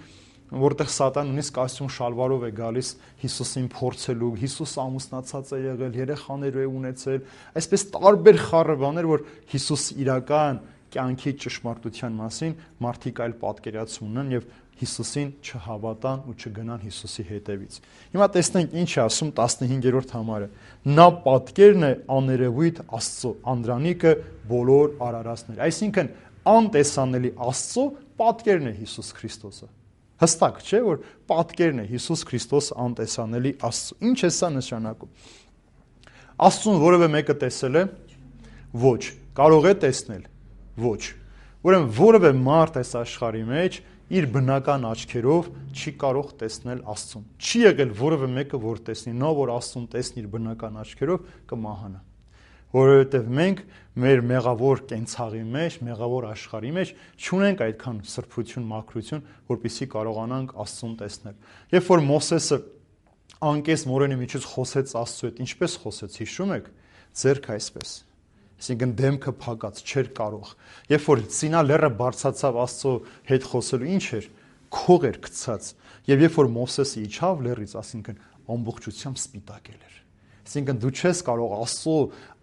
որտեղ Սատան նույնիսկ կոստյում շալվարով է գալիս Հիսուսին փորձելու, Հիսուս ամուսնացած է եղել, երեխաներ է ունեցել, այսպես տարբեր խառը բաներ, որ Հիսուս իրական կյանքի ճշմարտության մասին մարդիկ այլ պատկերացում ունեն եւ Հիսուսին չհավատան ու չգնան Հիսուսի հետևից։ Հիմա տեսնենք ինչ է ասում տասնհինգերորդ համարը։ Նա պատկերն է աներևույթ Աստծո, անդրանիկը բոլոր արարածներ։ Այսինքն անտեսանելի Աստծո պատկերն է Հիսուս Քրիստոսը։ Հստակ չէ, որ պատկերն է Հիսուս Քրիստոս անտեսանելի Աստծո։ Ինչ է սա նշանակում։ Աստծուն որևէ մեկը տեսել է։ Ոչ, կարող է տեսնել։ Ոչ։ Ուրեմն որևէ մարդ այս աշխարհի մեջ իր բնական աչքերով չի կարող տեսնել Աստծուն։ Չի եղել որևէ մեկը, որ տեսնի, նա որ Աստծուն տեսնի իր բնական աչքերով, կմահանա։ Որովհետև մենք մեր մեղավոր կենցաղի մեջ, մեղավոր աշխարհի մեջ չունենք այդքան սրբություն, մաքրություն, որպեսզի կարողանանք Աստծուն տեսնել։ Երբ որ Մովսեսը անկես մորենի միջից խոսեց Աստծու հետ, ինչպես խոսեց, հիշում եք, ձեռքը այսպես։ Այսինքն դեմքը փակած չէր կարող։ Երբ որ Սինա լեռը բարձրացավ Աստծո հետ խոսելու, ինչ էր, քող էր գցած։ Եվ երբ որ Մովսեսը իջավ լեռից, այսինքն ամբողջությամբ սպիտակել էր։ Այսինքն դու չես կարող Աստծո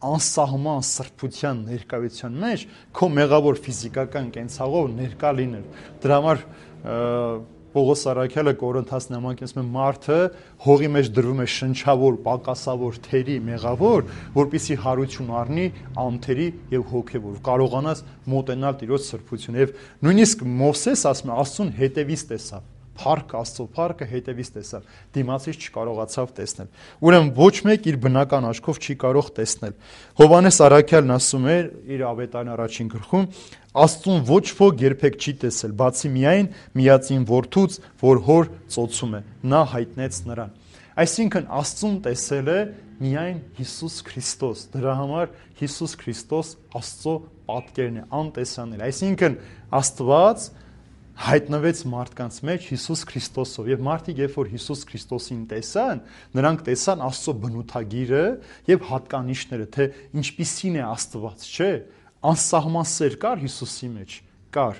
անսահման սրբության ներկայության մեջ քո մեղավոր ֆիզիկական կենցաղով ներկա լինել։ Դրա համար Պողոս առաքյալը Կորինթաց նամակին ասում է մարդը հողի մեջ դրվում է շնչավոր, պակասավոր, թերի, մեղավոր, որպեսզի հարություն առնի անթերի եւ հոգեվոր, կարողանաս մոտենալ Տիրոջ սրբություն։ Եվ նույնիսկ Մովսես ասում է Աստծուն հետևից տեսավ, փառք Աստծո փառքը հետևից տեսավ, դիմացից չկարողացավ տեսնել։ Ուրեմն ոչ մեկ իր բնական աչքով չի կարող տեսնել։ Հովհաննես առաքյալն ասում է իր ավետարանի առաջին գլխում, Աստծուն ոչ ոք երբեք չի տեսել, բացի միայն միածին որդուց, որ հոր ծոցում է, նա հայտնեց նրան։ Այսինքն Աստծուն տեսել է միայն Հիսուս Քրիստոս։ Դրա համար Հիսուս Քրիստոս Աստծո պատկերն է, անտեսանելի։ Այսինքն Աստված հայտնվեց մարդկանց մեջ Հիսուս Քրիստոսով եւ մարդիկ երբ որ Հիսուս Քրիստոսին տեսան, նրանք տեսան Աստծո բնութագիրը եւ հատկանիշները, թե ինչպիսին է Աստված, չէ՞։ Անսահման սեր կար Հիսուսի մեջ, կար։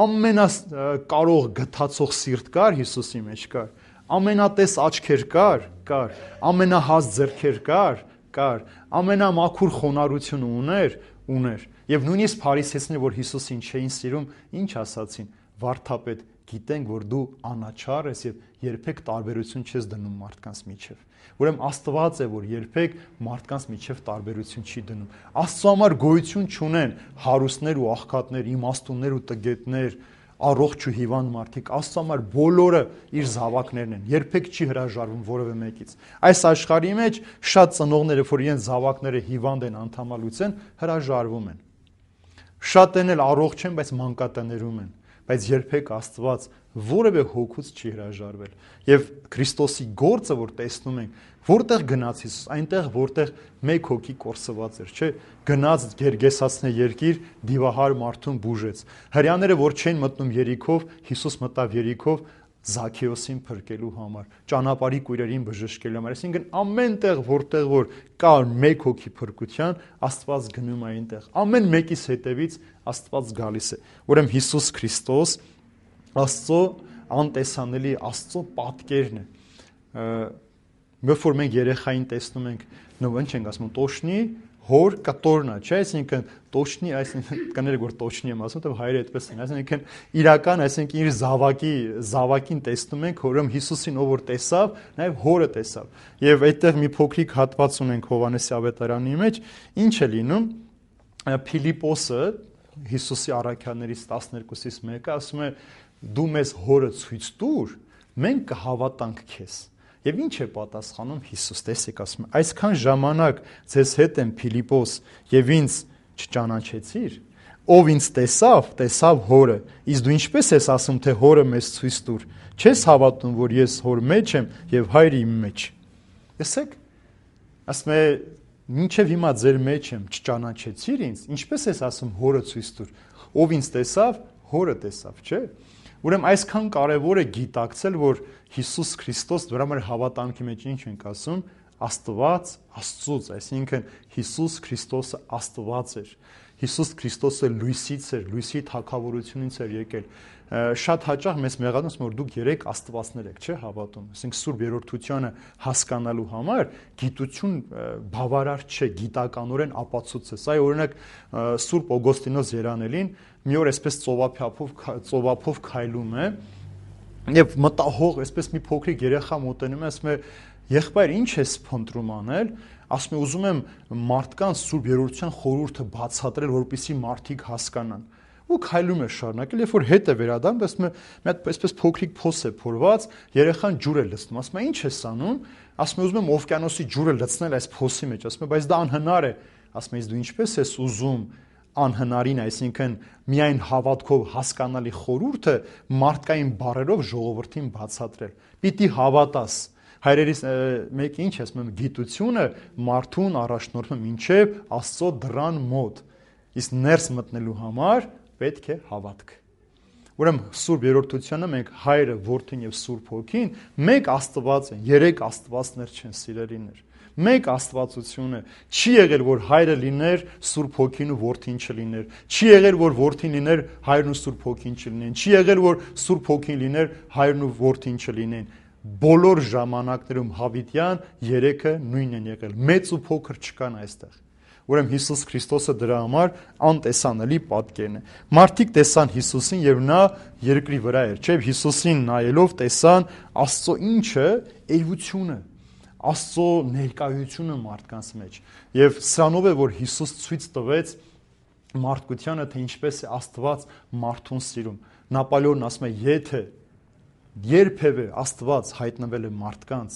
Ամենակարող գթացող սիրտ կար Հիսուսի մեջ, կար։ Ամենատես աչքեր կար, կար։ Ամենահաս ձեռքեր կար, կար։ Ամենամաքուր խոնարհությունը ուներ, ուներ։ Եվ նույնիսկ փարիսեցիները, որ Հիսուսին չէին սիրում, ինչ ասացին. Վարդապետ, գիտենք, որ դու անաչառ ես եւ երբեք տարբերություն չես դնում մարդկանց միջև։ Ուրեմն Աստված է, որ երբեք մարդկանց միջև տարբերություն չի դնում։ Աստծո համար գոյություն չունեն հարուստներ ու աղքատներ, իմաստուններ ու տգետներ, առողջ ու հիվանդ մարդիկ։ Աստծո համար բոլորը իր զավակներն են։ Երբեք չի հրաժարվում որևէ մեկից։ Այս աշխարհի մեջ շատ ծնողները, որ իրենց զավակները հիվանդ են, անթամալուց են, հրաժարվում են։ Շատերն էլ առողջ են, բայց մանկատներում են։ Բայց երբեք Աստված որևէ հոգուց չի հրաժարվել։ Եվ Քրիստոսի գործը, որ տեսնում ենք, որտեղ գնաց Հիսուս, այնտեղ, որտեղ մեկ հոգի կորսված էր, չէ՞, գնաց Գերգեսացնե երկիր, դիվահար մարդուն բուժեց։ Հրեաները, որ չեն մտնում Երիքով, Հիսուս մտավ Երիքով Զաքեոսին փրկելու համար, ճանապարհի կույրերին բժշկելու համար։ Այսինքն ամեն տեղ, որտեղ որ կար մեկ հոգի փրկության, Աստված գնում է այնտեղ։ Ամեն մեկից հետևից Աստված գալիս է։ Ուրեմն Հիսուս Քրիստոս Աստծո անտեսանելի Աստծո պատկերն է։ Երբ որ մենք երեխային տեսնում ենք, նո ինչ ենք ասում, տոշնի հոր կտորնա, չէ՞, այսինքն տոշնի, այսինքն կներեք որ տոշնի եմ ասում, թե հայերը այդպես են, այսինքն իրական, այսինքն իր զավակի զավակին տեսնում ենք, որում Հիսուսին ով որ տեսավ, նաև հորը տեսավ։ Եվ այդտեղ մի փոքրիկ հատված ունենք Հովհաննեսի ավետարանի մեջ, ինչ է լինում, Փիլիպոսը Հիսուսի առաքյալներից տասներկուսից մեկը ասում է դու մեզ հորը ցույց տուր, մենք կհավատանք քեզ։ Եվ ինչ է պատասխանում Հիսուս, տեսեք, ասում է, այսքան ժամանակ ձեզ հետ եմ Փիլիպոս եւ ինձ չճանաչեցիր, ով ինձ տեսավ, տեսավ հորը, իսկ դու ինչպես ես ասում, թե հորը մեզ ցույց տուր, չես հավատում, որ ես հոր մեջ եմ եւ հայրը իմ մեջ։ Տեսեք, ասում է, մինչեւ հիմա ձեր մեջ եմ, չճանաչեցիր ինձ, ինչպես ես ասում հորը ցույց տուր, ով ինձ տեսավ, հորը տեսավ, չէ՞։ Ուրեմն այսքան կարևոր է գիտակցել, որ Հիսուս Քրիստոս, դրա մեր հավատամքի մեջ ինչ ենք ասում, Աստված Աստծուց, այսինքն Հիսուս Քրիստոսը Աստված էր։ Հիսուս Քրիստոսը լույսից էր, լույսի թագավորությունից էր եկել։ Շատ հաճախ մեզ մեղադրում, որ դուք երեք աստվածներ եք, չէ՞, հավատում։ Այսինքն Սուրբ Երրորդությունը հասկանալու համար գիտություն բավարար չէ, գիտականորեն ապացուցես։ Այ օրինակ Սուրբ Օգոստինոս Երանելին մի օր այսպես ծովափով ծովափով քայլում է եւ մտահող այսպես մի փոքրիկ երեխա մոտենում է, ասում է. «Եղբայր, ինչ ես փնտրում անել»։ Ասում է. «Ուզում եմ մարդկանց Սուրբ Երրորդության խորհուրդը բացատրել, որպեսզի մարդիկ հասկանան»։ Ու քայլում է շարունակել, երբ որ հետ է վերադառնում, ասում է. «Մի հատ այսպես փոքրիկ փոս է փորված, երեխան ջուր է լցնում»։ Ասում է. «Ինչ ես անում»։ Ասում է. «Ուզում եմ օվկիանոսի ջուրը լցնել այս փոսի մեջ»։ Ասում է. «Բայց դա անհնար է»։ Ասում է. «Իսկ դու ինչպես ես ուզում անհնարին, այսինքն միայն հավատքով հասկանալի խորհուրդը մարդկային բառերով ժողովրդին բացատրել։ Պիտի հավատաս»։ Հայրերից մեկը ինչ է ասում, գիտությունը մարդուն առաջնորդում մինչև Աստծո դռան մոտ, իսկ ներս մտնելու համար պետք է հավատք։ Ուրեմն Սուրբ Երրորդությունը մենք Հայրը, Որդին եւ Սուրբ Հոգին մեկ Աստված են, երեք Աստվածներ չեն, սիրելիներ։ Մեկ Աստվածությունը չի եղել, որ Հայրը լիներ, Սուրբ Հոգին ու Որդին չլիներ։ Չի եղել, որ Որդին լիներ, Հայրն ու Սուրբ Հոգին չլինեն։ Չի եղել, որ Սուրբ Հոգին լիներ, Հայրն ու Որդին չլինեն։ Բոլոր ժամանակներում հավիտյան երեքը նույնն են եղել։ Մեծ ու փոքր չկան այստեղ։ Ուրեմն Հիսուս Քրիստոսը դրա համար անտեսանելի պատկերն է։ Մարդիկ տեսան Հիսուսին եւ նա երկրի վրա էր, չէ՞, Հիսուսին նայելով տեսան Աստծո ինչը, էությունը, Աստծո ներկայությունը մարդկանց մեջ։ Եվ սրանով է, որ Հիսուս ցույց տվեց մարդկությանը, թե ինչպես է Աստված մարդուն սիրում։ Նապոլեոնն ասում է, եթե երբևէ Աստված հայտնվել է մարդկանց,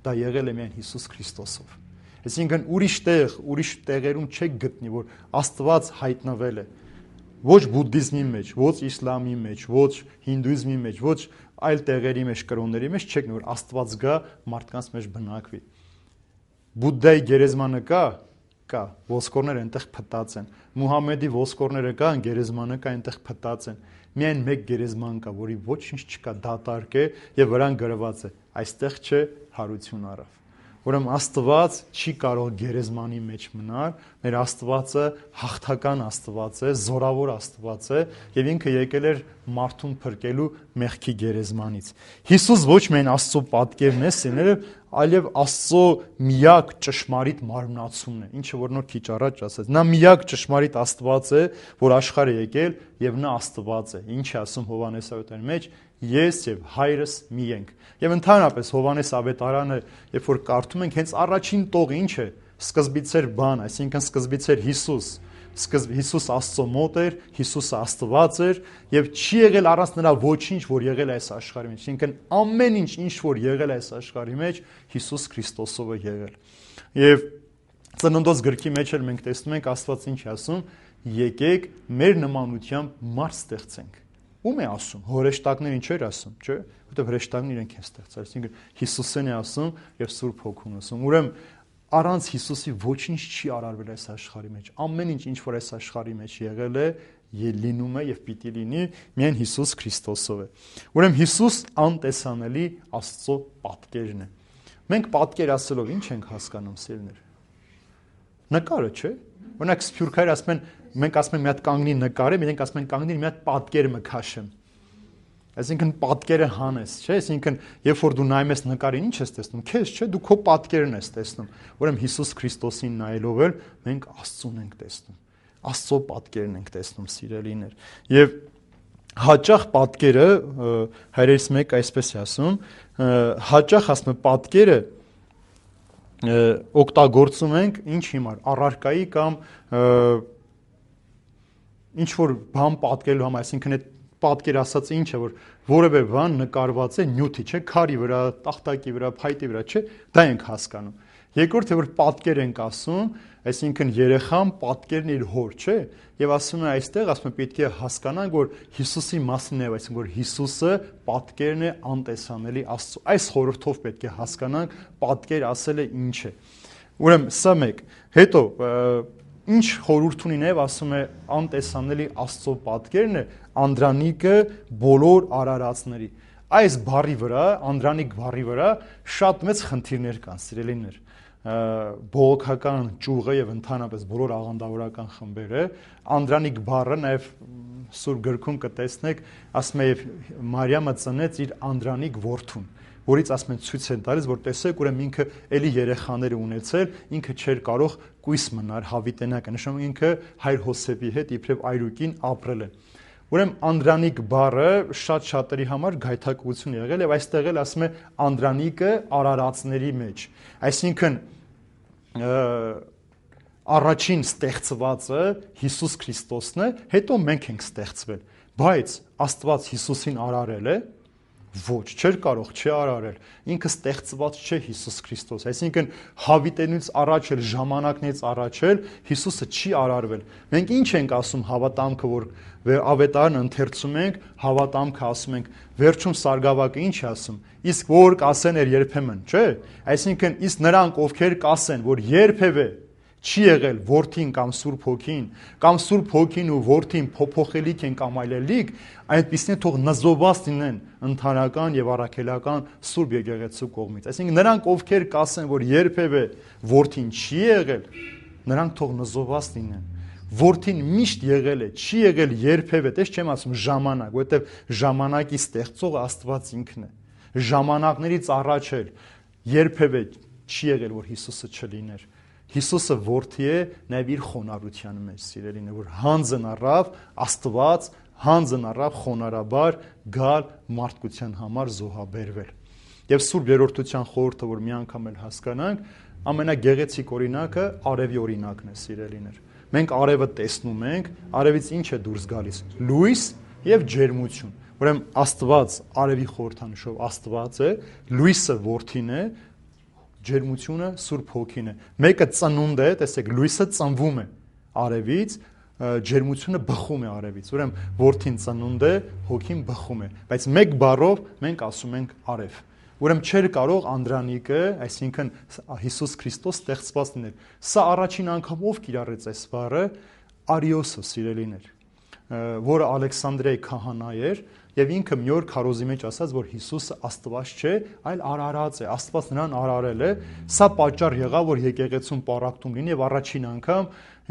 դա եղել է միայն Հիսուս Քրիստոսով։ Այսինքն ուրիշ տեղ, ուրիշ տեղերում չեք գտնի, որ Աստված հայտնվել է։ Ոչ բուդդիզմի մեջ, ոչ իսլամի մեջ, ոչ հինդուիզմի մեջ, ոչ այլ տեղերի մեջ, կրոնների մեջ չեք, որ Աստված գա մարդկանց մեջ բնակվի։ Բուդդայի գերեզմանը կա, կա, ոսկորները այնտեղ փտած են։ Մուհամեդի ոսկորները կան, գերեզմանը կա, այնտեղ փտած են։ Միայն մեկ գերեզման կա, որի ոչինչ չկա, դատարկ է եւ վրան գրված է. այստեղ չէ հարություն առավ։ Ուրեմն Աստված չի կարող գերեզմանի մեջ մնալ, մեր Աստվածը հաղթական Աստված է, զորավոր Աստված է եւ ինքը եկել էր մարդուն փրկելու մեղքի գերեզմանից։ Հիսուս ոչ միայն Աստծո պատկերն է, սիրելիները, այլև Աստծո միակ ճշմարիտ մարմնացումն է, ինչը որ նոր քիչ առաջ ասաց։ Նա միակ ճշմարիտ Աստված է, որ աշխարհ է եկել եւ նա Աստված է։ Ինչ է ասում Հովհաննես ավետարանի մեջ, ես եւ հայրս մի ենք։ Եվ ընդհանրապես Հովհաննես ավետարանը, երբ որ կարդում ենք, հենց առաջին տողը ինչ է, սկզբից էր բան, այսինքն սկզբից էր Հիսուս, սկզբ Հիսուս Աստծո մոտ էր, Հիսուսը Աստված էր եւ չի եղել առանց նրա ոչինչ, որ եղել է այս աշխարհի մեջ, այսինքն ամեն ինչ, ինչ որ եղել է այս աշխարհի մեջ, Հիսուս Քրիստոսով է եղել։ Եվ Ծննդոց գրքի մեջ էլ մենք տեսնում ենք Աստված ինչ է ասում, եկեք մեր նմանությամբ մարդ ստեղծենք։ Ում է ասում, հորեշտակներին չէր ասում, չէ՞, որտեղ հրեշտակները իրենք են ստեղծել, այսինքն Հիսուսին է ասում եւ Սուրբ Հոգուն ասում։ Ուրեմն առանց Հիսուսի ոչինչ չի արարվել այս աշխարհի մեջ։ Ամեն ինչ, ինչ որ այս աշխարհի մեջ եղել է, լինում է եւ պիտի լինի, միայն Հիսուս Քրիստոսով է։ Ուրեմն Հիսուս անտեսանելի Աստծո պատկերն է։ Մենք պատկեր ասելով ինչ ենք հասկանում, սիրելիներ։ Նկարը, չէ՞։ Օրինակ սփյուռքերը ասում են, մենք ասում ենք մի հատ կանգնի նկարը, մենք ասում ենք կանգնի մի հատ պատկեր մը քաշեմ։ Այսինքն պատկերը հանես, չէ՞, այսինքն երբ որ դու նայում ես նկարին, ինչ ես տեսնում, քեզ, չէ՞, դու քո պատկերն ես տեսնում։ Ուրեմն Հիսուս Քրիստոսին նայելով էլ մենք Աստծուն ենք տեսնում։ Աստծո պատկերն ենք տեսնում, սիրելիներ։ Եվ հաճախ պատկերը հայրերից մեկ այսպես է ասում, հաճախ ասում է պատկերը օգտագործում ենք ինչ հիմար, առարկայի կամ ինչ որ բան պատկերելու համար, այսինքն այդ պատկեր ասած ինչ է, որ որևէ բան նկարված է նյութի, չէ, քարի վրա, տախտակի վրա, փայտի վրա, չէ, դա ենք հասկանում։ Երկրորդը որ պատկեր ենք ասում, այսինքն երեխան պատկերն իր հոր, չէ, եւ ասում է այստեղ, ասում է պետք է հասկանանք, որ Հիսուսի մասին է, այսինքն որ Հիսուսը պատկերն է անտեսանելի Աստծո։ Այս խորհրդով պետք է հասկանանք պատկեր ասելը ինչ է։ Ուրեմն սա մեկ, հետո ինչ խորհուրդ ունի նաև ասում է անտեսանելի Աստծո պատկերն է Անդրանիկը բոլոր արարածների։ Այս բառի վրա, Անդրանիկ բառի վրա շատ մեծ խնդիրներ կան, սիրելիներ։ Բողոքական ճյուղը եւ ընդհանրապես բոլոր աղանդավորական խմբերը Անդրանիկ բառը նաև Սուրբ գրքում կտեսնեք, ասում է եւ Մարիամը ծնեց իր Անդրանիկ որդուն, որից ասում են ցույց են տալիս, որ տեսեք, ուրեմն ինքը էլի երեխաներ ունեցել, ինքը չէր կարող կույս մնալ հավիտենական, նշանակում ինքը հայր Հոսեփի հետ իբրև այրուկին ապրել է։ Ուրեմն Անդրանիկ բառը շատ շատերի համար գայթակղություն եղել եւ այստեղ էլ ասում է Անդրանիկը արարածների մեջ, այսինքն առաջին ստեղծվածը Հիսուս Քրիստոսն է, հետո մենք ենք ստեղծվել, բայց Աստված Հիսուսին արարել է, ոչ, չէր կարող, չի արարել, ինքը ստեղծված չէ Հիսուս Քրիստոս, այսինքն հավիտենից առաջ էլ, ժամանակներից առաջ էլ Հիսուսը չի արարվել։ Մենք ինչ ենք ասում հավատամքը, որ ավետարանը ընթերցում ենք, հավատամքը ասում ենք, վերջում Սարգսակը ինչ է ասում, իսկ որ կասեն էր երբեմն, չէ, այսինքն իսկ նրանք ովքեր կասեն, որ երբևէ չի եղել որդին կամ Սուրբ Հոգին, կամ Սուրբ Հոգին ու որդին փոփոխելիք են կամ այլելիք, այնպիսին թող նզովված լինեն ընդհանրական եւ առաքելական Սուրբ Եկեղեցու կողմից։ Այսինքն նրանք ովքեր կասեն, որ երբևէ որդին չի եղել, նրանք թող նզովված լինեն։ Որդին միշտ եղել է, չի եղել երբևէ, դες չեմ ասում ժամանակ, որովհետեւ ժամանակի ստեղծողը Աստված ինքն է։ Ժամանակներից առաջ էլ երբևէ չի եղել, որ Հիսուսը չլիներ։ Հիսուսը որդի է նաև իր խոնարհության մեջ, սիրելին է, որ հանձն առավ Աստված, հանձն առավ խոնարհաբար գալ մարդկության համար զոհաբերվել։ Եվ Սուրբ Երրորդության խորհուրդը, որ մի անգամ էլ հասկանանք, ամենագեղեցիկ օրինակը արևի օրինակն է, սիրելիներ։ Մենք արևը տեսնում ենք, արևից ինչ է դուրս գալիս։ Լույս եւ ջերմություն։ Ուրեմն Աստված արևի խորհրդանշով Աստված է, լույսը որդին է, ջերմությունը Սուրբ Հոգին է։ Մեկը ծնունդ է, տեսեք, լույսը ծնվում է արևից, ջերմությունը բխում է արևից։ Ուրեմն որդին ծնունդ է, Հոգին բխում է։ Բայց մեկ բառով մենք ասում ենք արև։ Ուրեմն չէր կարող Անդրանիկը, այսինքն Հիսուս Քրիստոս ստեղծված լինել։ Սա առաջին անգամ ով կիրառեց այս բառը, Արիոսը, սիրելիներ, որը Ալեքսանդրիայի քահանա էր, եւ ինքը մի օր քարոզի մեջ ասաց, որ Հիսուսը Աստված չէ, այլ արարած է, Աստված նրան արարել է։ Սա պատճառ եղավ, որ եկեղեցուն պառակտում լինի եւ առաջին անգամ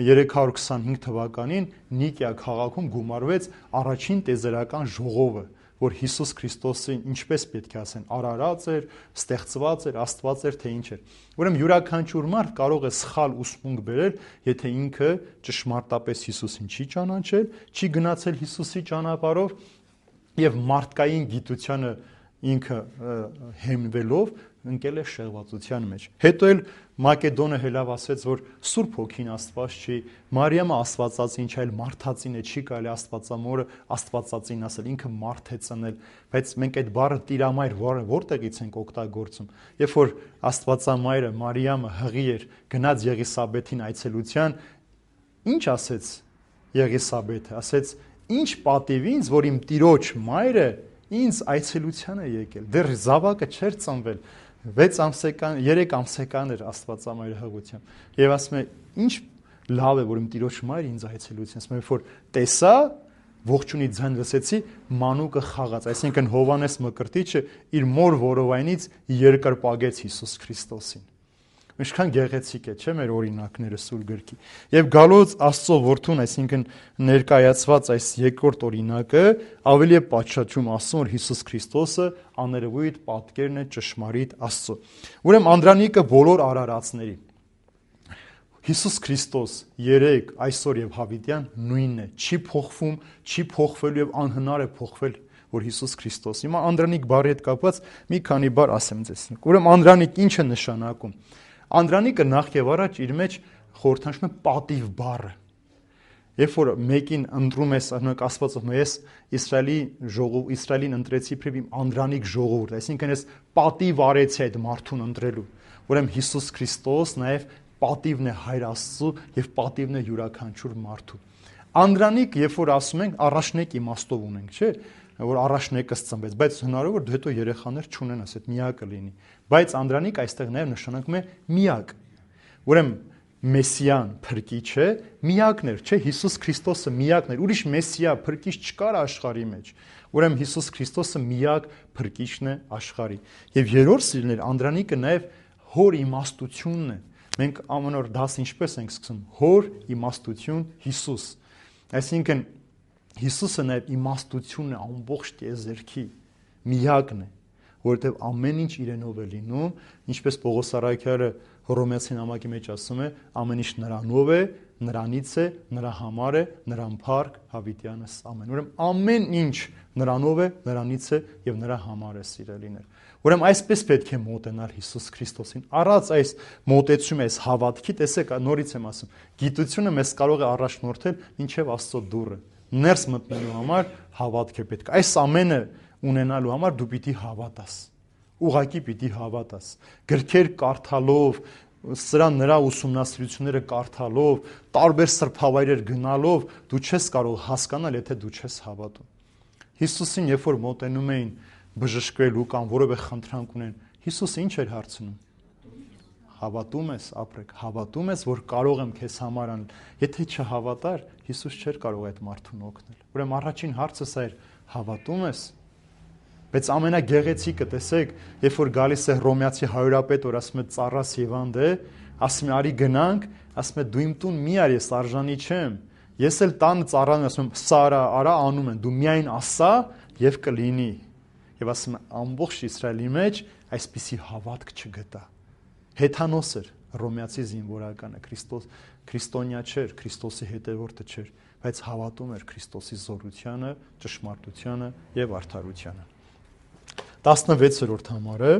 երեք հարյուր քսանհինգ թվականին Նիկիա քաղաքում գումարվեց առաջին տեզերական ժողովը, որ Հիսուս Քրիստոսին ինչպես պետք է ասեն, արարած էր, ստեղծված էր, Աստված էր, թե ինչ էր։ Ուրեմն յուրաքանչյուր մարդ կարող է սխալ ուսմունք բերել, եթե ինքը ճշմարտապես Հիսուսին չի ճանաչել, չի գնացել Հիսուսի ճանապարհով եւ մարդկային գիտությանը ինքը հենվելով ընկել է շեղվածության մեջ։ Հետո էլ Մակեդոնը հելավասեց, որ Սուրբ Հոգին Աստված չի, Մարիամը Աստվածածին չէ, այլ մարդածին է, չի կարելի Աստվածամորը Աստվածածին ասել, ինքը մարդ է ծնել, բայց մենք այդ բառը տիրամայր որտեղից ենք օգտագործում։ Երբ որ Աստվածամայրը Մարիամը հղի էր, գնաց Եղիսաբեթին այցելության, ինչ ասեց Եղիսաբեթը, ասեց. «Ինչ պատիվ ինձ, որ իմ տիրոջ մայրը ինձ այցելության է եկել, դեռ զավակը չէր ծնվել, վեց ամսական, երեք ամսական էր Աստվածամայրը հղությամբ, եւ ասում է, ինչ լավ է, որ իմ տիրոջ մայրը ինձ այցելության, ասում է, որ տեսա, ողջունի ձայն լսեցի, մանուկը խաղաց», այսինքն Հովհաննես Մկրտիչը իր մոր որովայնից երկրպագեց Հիսուս Քրիստոսին։ Ինչքան գեղեցիկ է, չէ՞ մեր օրինակները Սուրբ գրքի։ Եվ գալոց Աստծո որդուն, այսինքն ներկայացված այս երկրորդ օրինակը ավելի է պատշաճում ասում, որ Հիսուս Քրիստոսը աներևույթ պատկերն է ճշմարիտ Աստծո։ Ուրեմն Անդրանիկը բոլոր արարածների Հիսուս Քրիստոս երեք, այսօր եւ հավիտյան նույնն է, չի փոխվում, չի փոխվելու եւ անհնար է փոխվել, որ Հիսուս Քրիստոս։ Հիմա Անդրանիկ բառի հետ կապված մի քանի բառ ասեմ ձեզ։ Ուրեմն Անդրանիկ ինչ է նշանակում։ Անդրանիկը նախ եւ առաջ իր մեջ խորհրդանշում է պատիվ բառը։ Երբ որ մեկին ընտրում ես, օրինակ Աստվածը ես Իսրայելի ժողով, Իսրայելին ընտրեցի իբրև իմ Անդրանիկ ժողովուրդ, այսինքն ես պատիվ արեցի այդ մարդուն ընտրելու։ Ուրեմն Հիսուս Քրիստոս նաեւ պատիվն է Հայր Աստծո եւ պատիվն է յուրաքանչյուր մարդու։ Անդրանիկ, երբ որ ասում ենք, առաջնեկ իմաստով ունենք, չէ՞, որ առաջնեկս ծնվեց, բայց հնարավոր դու հետո երեխաներ չունենաս, այդ միակը լինի։ Բայց Անդրանիկ այստեղ նաև նշանակում է միակ։ Ուրեմն Մեսիան փրկիչ է, միակն էր, չէ՞, Հիսուս Քրիստոսը միակն էր, ուրիշ Մեսիա փրկիչ չկար աշխարհի մեջ։ Ուրեմն Հիսուս Քրիստոսը միակ փրկիչն է աշխարհի։ Եվ երրորդ սիրելիներ, Անդրանիկը նաև հոր իմաստությունն է։ Մենք ամեն օր դաս ինչպես ենք սկսում, հոր իմաստություն Հիսուս։ Այսինքն Հիսուսը նաև իմաստությունն է ամբողջ տիեզերքի, միակն է, որովհետև ամեն ինչ իրենով է լինում, ինչպես Պողոս առաքյալը Հռոմեացի նամակի մեջ ասում է, ամեն ինչ նրանով է, նրանից է, նրա համար է, նրան փառք հավիտյանս ամեն։ Ուրեմն ամեն ինչ նրանով է, նրանից է եւ նրա համար է, սիրելիներ։ Ուրեմն այսպես պետք է մոտենալ Հիսուս Քրիստոսին։ Առանց այս մոտեցումը, այս հավատքի, տեսեք, նորից եմ ասում, գիտությունը մեզ կարող է առաջնորդել մինչև Աստծո դուռը։ Ներս մտնելու համար հավատք է պետք։ Այս ամենը ունենալու համար դու պիտի հավատաս։ Ուղղակի պիտի հավատաս։ Գրքեր կարդալով, սրա նրա ուսումնասիրությունները կարդալով, տարբեր սրբավայրեր գնալով դու չես կարող հասկանալ, եթե դու չես հավատում։ Հիսուսին երբ որ մոտենում էին բժշկվելու կամ որևէ խնդրանք ունեն, Հիսուսը ինչ էր հարցնում։ Հավատում ես, ապրեք, հավատում ես, որ կարող եմ քեզ համար անել։ Եթե չհավատար, Հիսուս չէր կարող այդ մարդուն օգնել։ Ուրեմն առաջին հարցը սա էր. հավատում ես։ Բայց ամենագեղեցիկը, տեսեք, երբ որ գալիս է Հռոմեացի հարյուրապետ, որ ասում է ծառաս Եվանդ է, ասում է արի գնանք, ասում է դու իմ տուն մի արի, ես արժանի չեմ։ Ես էլ տան ծառան ասում եմ, սա արա, արա անում են, դու միայն ասա եւ կլինի։ Եվ ասում է ամբողջ Իսրայելի մեջ այսպիսի հավատք չգտա։ Հեթանոս էր Հռոմեացի զինվորականը, Քրիստոս քրիստոնյա չէր, Քրիստոսի հետևորդը չէր, բայց հավատում էր Քրիստոսի զորությանը, ճշմարտությանը եւ արդարությանը։ տասնվեցերորդ համարը,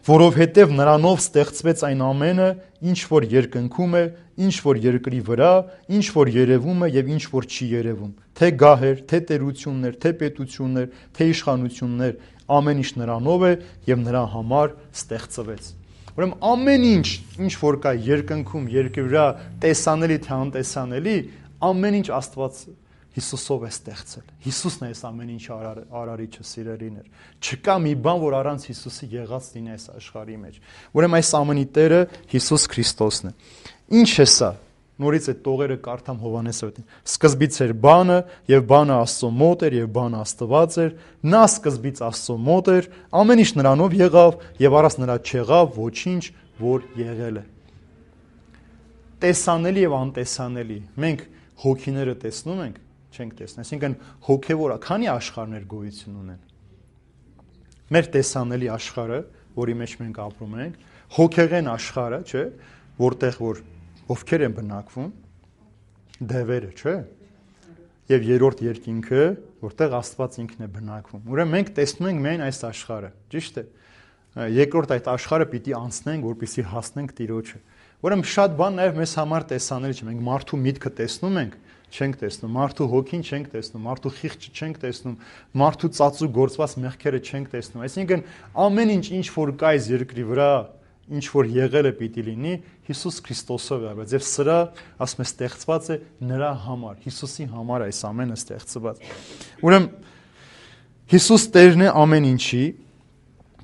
որովհետև նրանով ստեղծվեց այն ամենը, ինչ որ երկնքում է, ինչ որ երկրի վրա, ինչ որ երևում է եւ ինչ որ չի երևում, թե գահեր, թե տերություններ, թե պետություններ, թե իշխանություններ, ամեն ինչ նրանով է եւ նրա համար ստեղծվեց։ Ուրեմն ամեն ինչ, ինչ որ կա երկնքում, երկրի վրա, տեսանելի թե անտեսանելի, ամեն ինչ Աստված Հիսուսով է ստեղծել։ Հիսուսն է այս ամեն ինչ արարիչը, սիրելիներ։ Չկա մի բան, որ առանց Հիսուսի եղած լինի այս աշխարհի մեջ։ Ուրեմն այս ամենի Տերը Հիսուս Քրիստոսն է։ Ինչ է սա։ Նորից այդ տողերը կարդամ Հովհաննեսովին։ Սկզբից էր բանը, եւ բանը Աստծո մոտ էր, եւ բանը Աստված էր։ Նա սկզբից Աստծո մոտ էր, ամեն ինչ նրանով եղավ, եւ առանց նրա չեղավ ոչինչ, որ եղել է։ Տեսանելի եւ անտեսանելի։ Մենք հոգիները տեսնում ենք, չենք տեսնում։ Այսինքն հոգեվորը քանի աշխարհներ գոյություն ունեն։ Մեր տեսանելի աշխարհը, որի մեջ մենք ապրում ենք, հոգեղեն աշխարհը, չէ՞, որտեղ որ ովքեր են բնակվում, դևերը, չէ՞։ Եվ երրորդ երկինքը, որտեղ Աստված ինքն է բնակվում։ Ուրեմն մենք տեսնում ենք միայն այս աշխարհը, ճիշտ է։ Երկրորդ այդ աշխարհը պիտի անցնենք, որպեսզի հասնենք Տիրոջը։ Ուրեմն շատ բան նաև մեզ համար տեսանելի չէ։ Մենք մարդու միտքը տեսնում ենք, չենք տեսնում, մարդու հոգին չենք տեսնում, մարդու խիղճը չենք տեսնում, մարդու ծածու գործված մեղքերը չենք տեսնում։ Այսինքն ամեն ինչ ինչ որ կա այս երկրի վրա, ինչ որ եղել է պիտի լինի, Հիսուս Քրիստոսով է, բայց եւ սրա ասում է ստեղծված է նրա համար, Հիսուսի համար այս ամենը ստեղծված։ Ուրեմն Հիսուս Տերն է ամեն ինչի,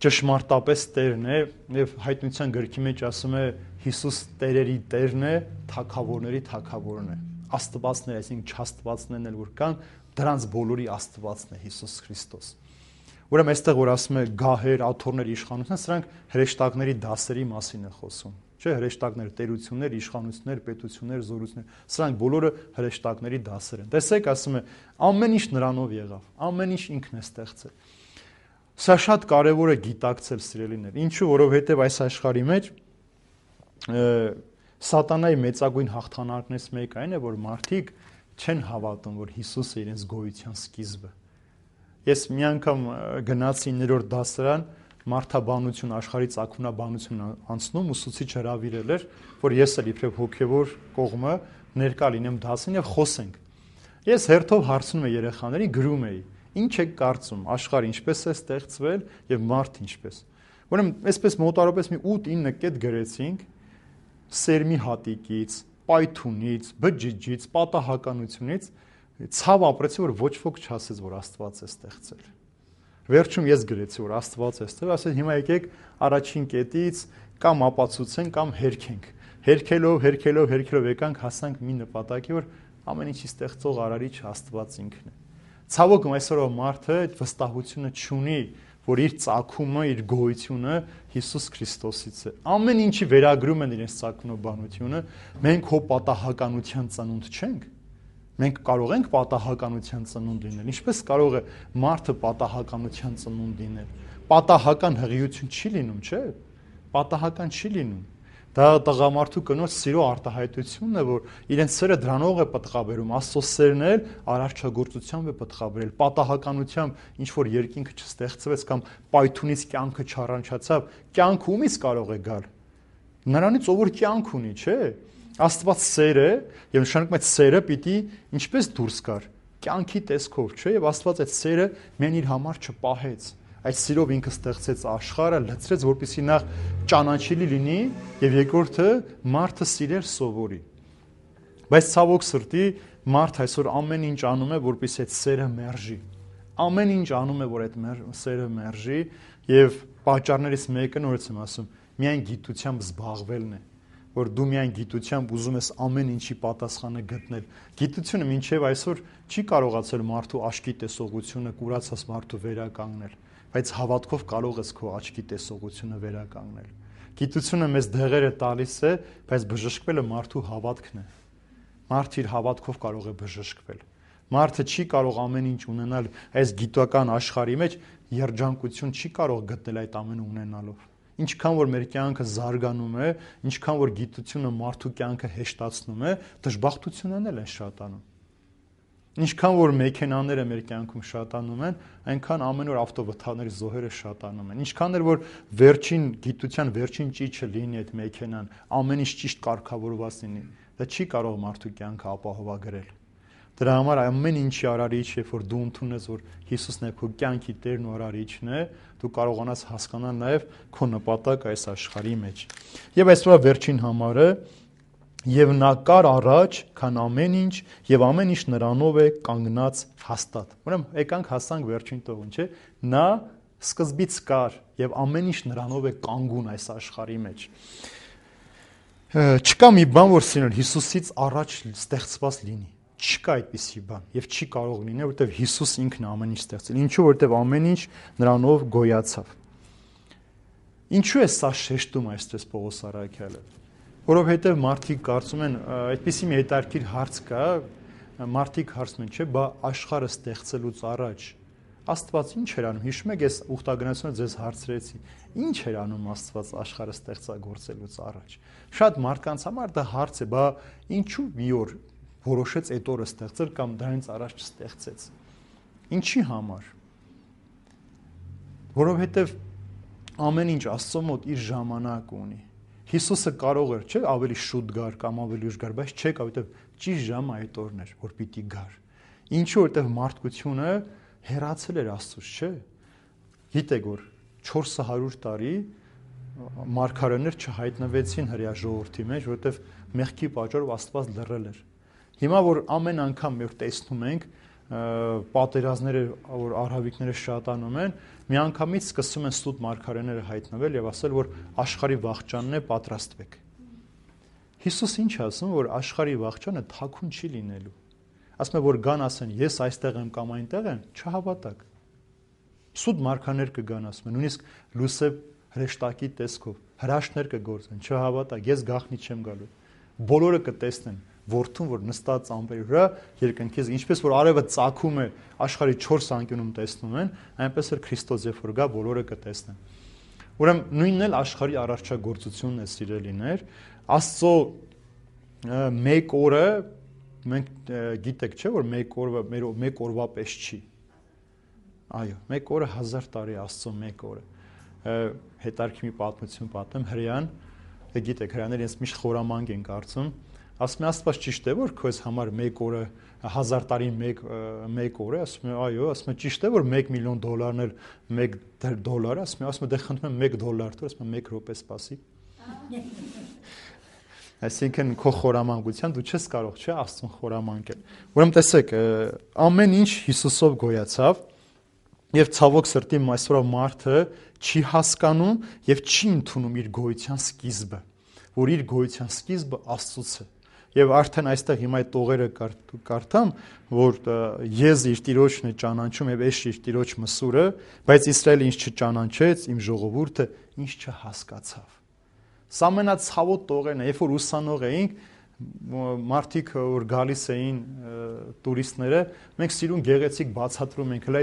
ճշմարտապես Տերն է, եւ հայտնության գրքի մեջ ասում է Հիսուս Տերերի Տերն է, թագավորների թագավորն է։ Աստվածներ, այսինքն չաստվածներն էլ որ կան, դրանց բոլորի Աստվածն է Հիսուս Քրիստոս։ Ուրեմն այստեղ որ ասում է գահեր, աթոռներ, իշխանություններ, սրանք հրեշտակների դասերի մասին է խոսում։ Չէ, հրեշտակներ, տերություններ, իշխանություններ, պետություններ, զորություններ, սրանք բոլորը հրեշտակների դասեր են։ Տեսեք, ասում է, ամեն ինչ նրանով եղավ, ամեն ինչ ինքն է ստեղծել։ Սա շատ կարևոր է գիտակցել, սիրելիներ։ Ինչու, որովհետև այս աշխարհի մեջ Սատանայի մեծագույն հաղթանակներից մեկը այն է, որ մարդիկ չեն հավատում, որ Հիսուսը իրենց գոյության սկիզբը։ Ես մի անգամ գնացի ներորդ դասարան, մարդաբանություն, աշխարհի ծագումնաբանություն անցնում, ուսուցիչ հրավիրել էր, որ ես էլ իբրև հոգևոր կողմը ներկա լինեմ դասին եւ խոսենք։ Ես հերթով հարցնում եմ երեխաների, գրում էի. Ինչ եք կարծում, աշխարհը ինչպես է ստեղծվել եւ մարդ ինչպես։ Ուրեմն այսպես մոտարապես մի ութ-ինը կետ գրեցինք սերմի հատիկից, պայթունից, բջիջից, պատահականությունից, ցավ ապրեցի, որ ոչ ոք չասեց, որ Աստված է ստեղծել։ Վերջում ես գրեցի, որ Աստված է ստեղծել, ասել հիմա եկեք առաջին կետից կամ ապացուցենք, կամ հերքենք։ Հերքելով, հերքելով, հերքելով եկանք հասանք մի նպատակի, որ ամեն ինչի ստեղծող արարիչ Աստված ինքն է։ Ցավոք այսօրվա մարդը այդ վստահությունը չունի, որ իր ծագումը, իր գոյությունը Հիսուս Քրիստոսից է։ Ամեն ինչի վերագրում են իրենց ծագումնաբանությունը, մենք հո պատահականության ծնունդ չենք։ Մենք կարող ենք պատահականության ծնունդ լինել։ Ինչպես կարող է մարդը պատահականության ծնունդ լինել։ Պատահական հղիություն չի լինում, չէ՞։ Պատահական չի լինում։ Դա տղամարդու կնոջ սիրո արտահայտությունն է, որ իրենց սերը դրանով է պատղաբերում, Աստծո սերն էլ արարչագործությամբ է պատղաբերել, պատահականությամբ ինչ որ երկինքը չստեղծվեց կամ պայթունից կյանքը չառաջացավ, կյանքը ումից կարող է գալ։ Նրանից ով որ կյանք ունի, չէ՞։ Աստված սեր է, եւ նշանակում է սերը պիտի ինչպես դուրս գար, կյանքի տեսքով, չէ՞, եւ Աստված այդ սերը մեն իր համար չպահեց։ Այդ սիրով ինքը ստեղծեց աշխարհը, լցրեց, որպեսզի նախ ճանաչելի լինի եւ երկրորդը մարդը սիրել սովորի։ Բայց ցավոք սրտի մարդ այսօր ամեն ինչ անում է, որպեսզի այդ սերը մերժի։ Ամեն ինչ անում է, որ այդ սերը մերժի եւ պատճառներից մեկը նորից եմ ասում, միայն գիտությամբ զբաղվելն է, որ դու միայն գիտությամբ ուզում ես ամեն ինչի պատասխանը գտնել։ Գիտությունը մինչեւ այսօր չի կարողացել մարդու աչքի տեսողությունը, կուրացած մարդու վերականգնել, բայց հավատքով կարող ես քո աչքի տեսողությունը վերականգնել։ Գիտությունը մեզ դեղերը տալիս է, բայց բժշկվելը մարդու հավատքն է։ Մարդը իր հավատքով կարող է բժշկվել։ Մարդը չի կարող ամեն ինչ ունենալ այս գիտական աշխարհի մեջ, երջանկություն չի կարող գտնել այդ ամենը ունենալով։ Ինչքան որ մեր կյանքը զարգանում է, ինչքան որ գիտությունը մարդու կյանքը հեշտացնում է, դժբախտությունն էլ են շատանում։ Ինչքան որ մեքենաները մեր կյանքում շատանում են, այնքան ամեն օր ավտովթարների զոհերը շատանում են։ Ինչքան էլ որ վերջին գիտության վերջին ճիճը լինի այդ մեքենան, ամեն ինչ ճիշտ կարգավորված լինի, դա չի կարող մարդու կյանքը ապահովագրել։ Դրա համար ամեն ինչի արարիչ, երբ որ դու ընդունես, որ Հիսուսն է քո կյանքի Տերն ու արարիչն է, դու կարողանաս հասկանալ նաև քո նպատակը այս աշխարհի մեջ։ Եվ այսօր վերջին համարը Եվ նա կար առաջ, քան ամեն ինչ, եւ ամեն ինչ նրանով է կանգնած հաստատ։ Ուրեմն եկանք հասանք վերջին տողին, չէ՞։ Նա սկզբից կար եւ ամեն ինչ նրանով է կանգուն այս աշխարհի մեջ։ Չկա մի բան, որ սիրել Հիսուսից առաջ ստեղծված լինի։ Չկա այդպիսի բան եւ չի կարող լինել, որովհետեւ Հիսուս ինքն է ամեն ինչ ստեղծել։ Ինչու? Որովհետեւ ամեն ինչ նրանով գոյացավ։ Ինչու է սա շեշտում այսպես Պողոս առաքյալը։ Որովհետև մարդիկ կարծում են, այդպիսի մի հետաքրքիր հարց կա, մարդիկ հարցնում են, չէ, բա աշխարհը ստեղծելուց առաջ Աստված ինչ էր անում։ Հիշում եք, ես ուխտագնացությունը ձեզ հարցրեցի, ինչ էր անում Աստված աշխարհը ստեղծագործելուց առաջ։ Շատ մարդկանց համար դա հարց է, բա ինչու մի օր որոշեց այդ օրը ստեղծել կամ դրանից առաջ չստեղծեց։ Ինչի համար։ Որովհետև ամեն ինչ Աստծո մոտ իր ժամանակ ունի։ Հիսուսը կարող էր, չէ, ավելի շուտ գար կամ ավելի ուշ գար, բայց չեկավ, որովհետև ճիշտ ժամը այդ օրն էր, որ պիտի գար։ Ինչու? Որովհետև մարդկությունը հեռացել էր Աստծուց, չէ։ Գիտեք, որ չորս հարյուր տարի մարգարեներ չհայտնվեցին հրեա ժողովրդի մեջ, որովհետև մեղքի պատճառով Աստված լռել էր։ Հիմա որ ամեն անգամ մենք տեսնում ենք պատերազմները, որ արհավիկները շատանում են, միանգամից սկսում են սուտ մարգարեները հայտնվել եւ ասել, որ աշխարհի վախճանն է, պատրաստվեք։ Հիսուս ինչ ասում, որ աշխարհի վախճանը թաքուն չի լինելու։ Ասում է, որ գան ասեն, ես այստեղ եմ կամ այնտեղ եմ, չհավատակ։ Սուտ մարգարեներ կգան, ասում են, նույնիսկ լուսե հրեշտակի տեսքով հրաշքներ կգործեն, չհավատակ, ես գաղտնի չեմ գալու։ Բոլորը կտեսնեն որդուն, որ նստած ամպերի վրա երկնքից, ինչպես որ արևը ծագում է աշխարհի չորս անկյունում տեսնում են, այնպես էլ Քրիստոս երբ որ գա, բոլորը կտեսնեն։ Ուրեմն նույնն էլ աշխարհի առարչագործությունն է, սիրելիներ, Աստծո մեկ օրը մենք գիտեք, չէ, որ մեկ օրը մեր մեկ օրվա պես չի։ Այո, մեկ օրը հազար տարի Աստծո մեկ օրը։ Հետարքի մի պատմություն պատմեմ, հրեան, գիտեք, հրեաները ինձ միշտ խորամանկ են կարծում, ասում է Աստված ճիշտ է, որ քեզ համար մեկ օրը հազար տարի մեկ մեկ օր է, ասում է այո, ասում է ճիշտ է, որ մեկ միլիոն դոլարն էլ մեկ դոլար է, ասում է, ասում է դե խնդրում եմ մեկ դոլար տուր, ասում է մեկ րոպե սպասի։ Այսինքն քո խորամանկության դու չես կարող, չէ, Աստծուն խորամանկել։ Ուրեմն տեսեք, ամեն ինչ Հիսուսով գոյացավ եւ ցավոք սրտի այսօր մարդը չի հասկանում եւ չի ընդունում իր գոյության սկիզբը, որ իր գոյության սկիզբը Աստծուց է։ Եվ արդեն այստեղ հիմա այդ տողերը կարդամ, որ ես իր տիրոջն է ճանաչում եւ ես իր տիրոջ մսուրը, բայց Իսրայելը ինչ չճանաչեց, իմ ժողովուրդը ինչ չհասկացավ։ Սա ամենացավոտ տողերն է, երբ որ ուսանող էինք, մարդիկ որ գալիս էին տուրիստները, մենք սիրուն գեղեցիկ բացատրում ենք, հələ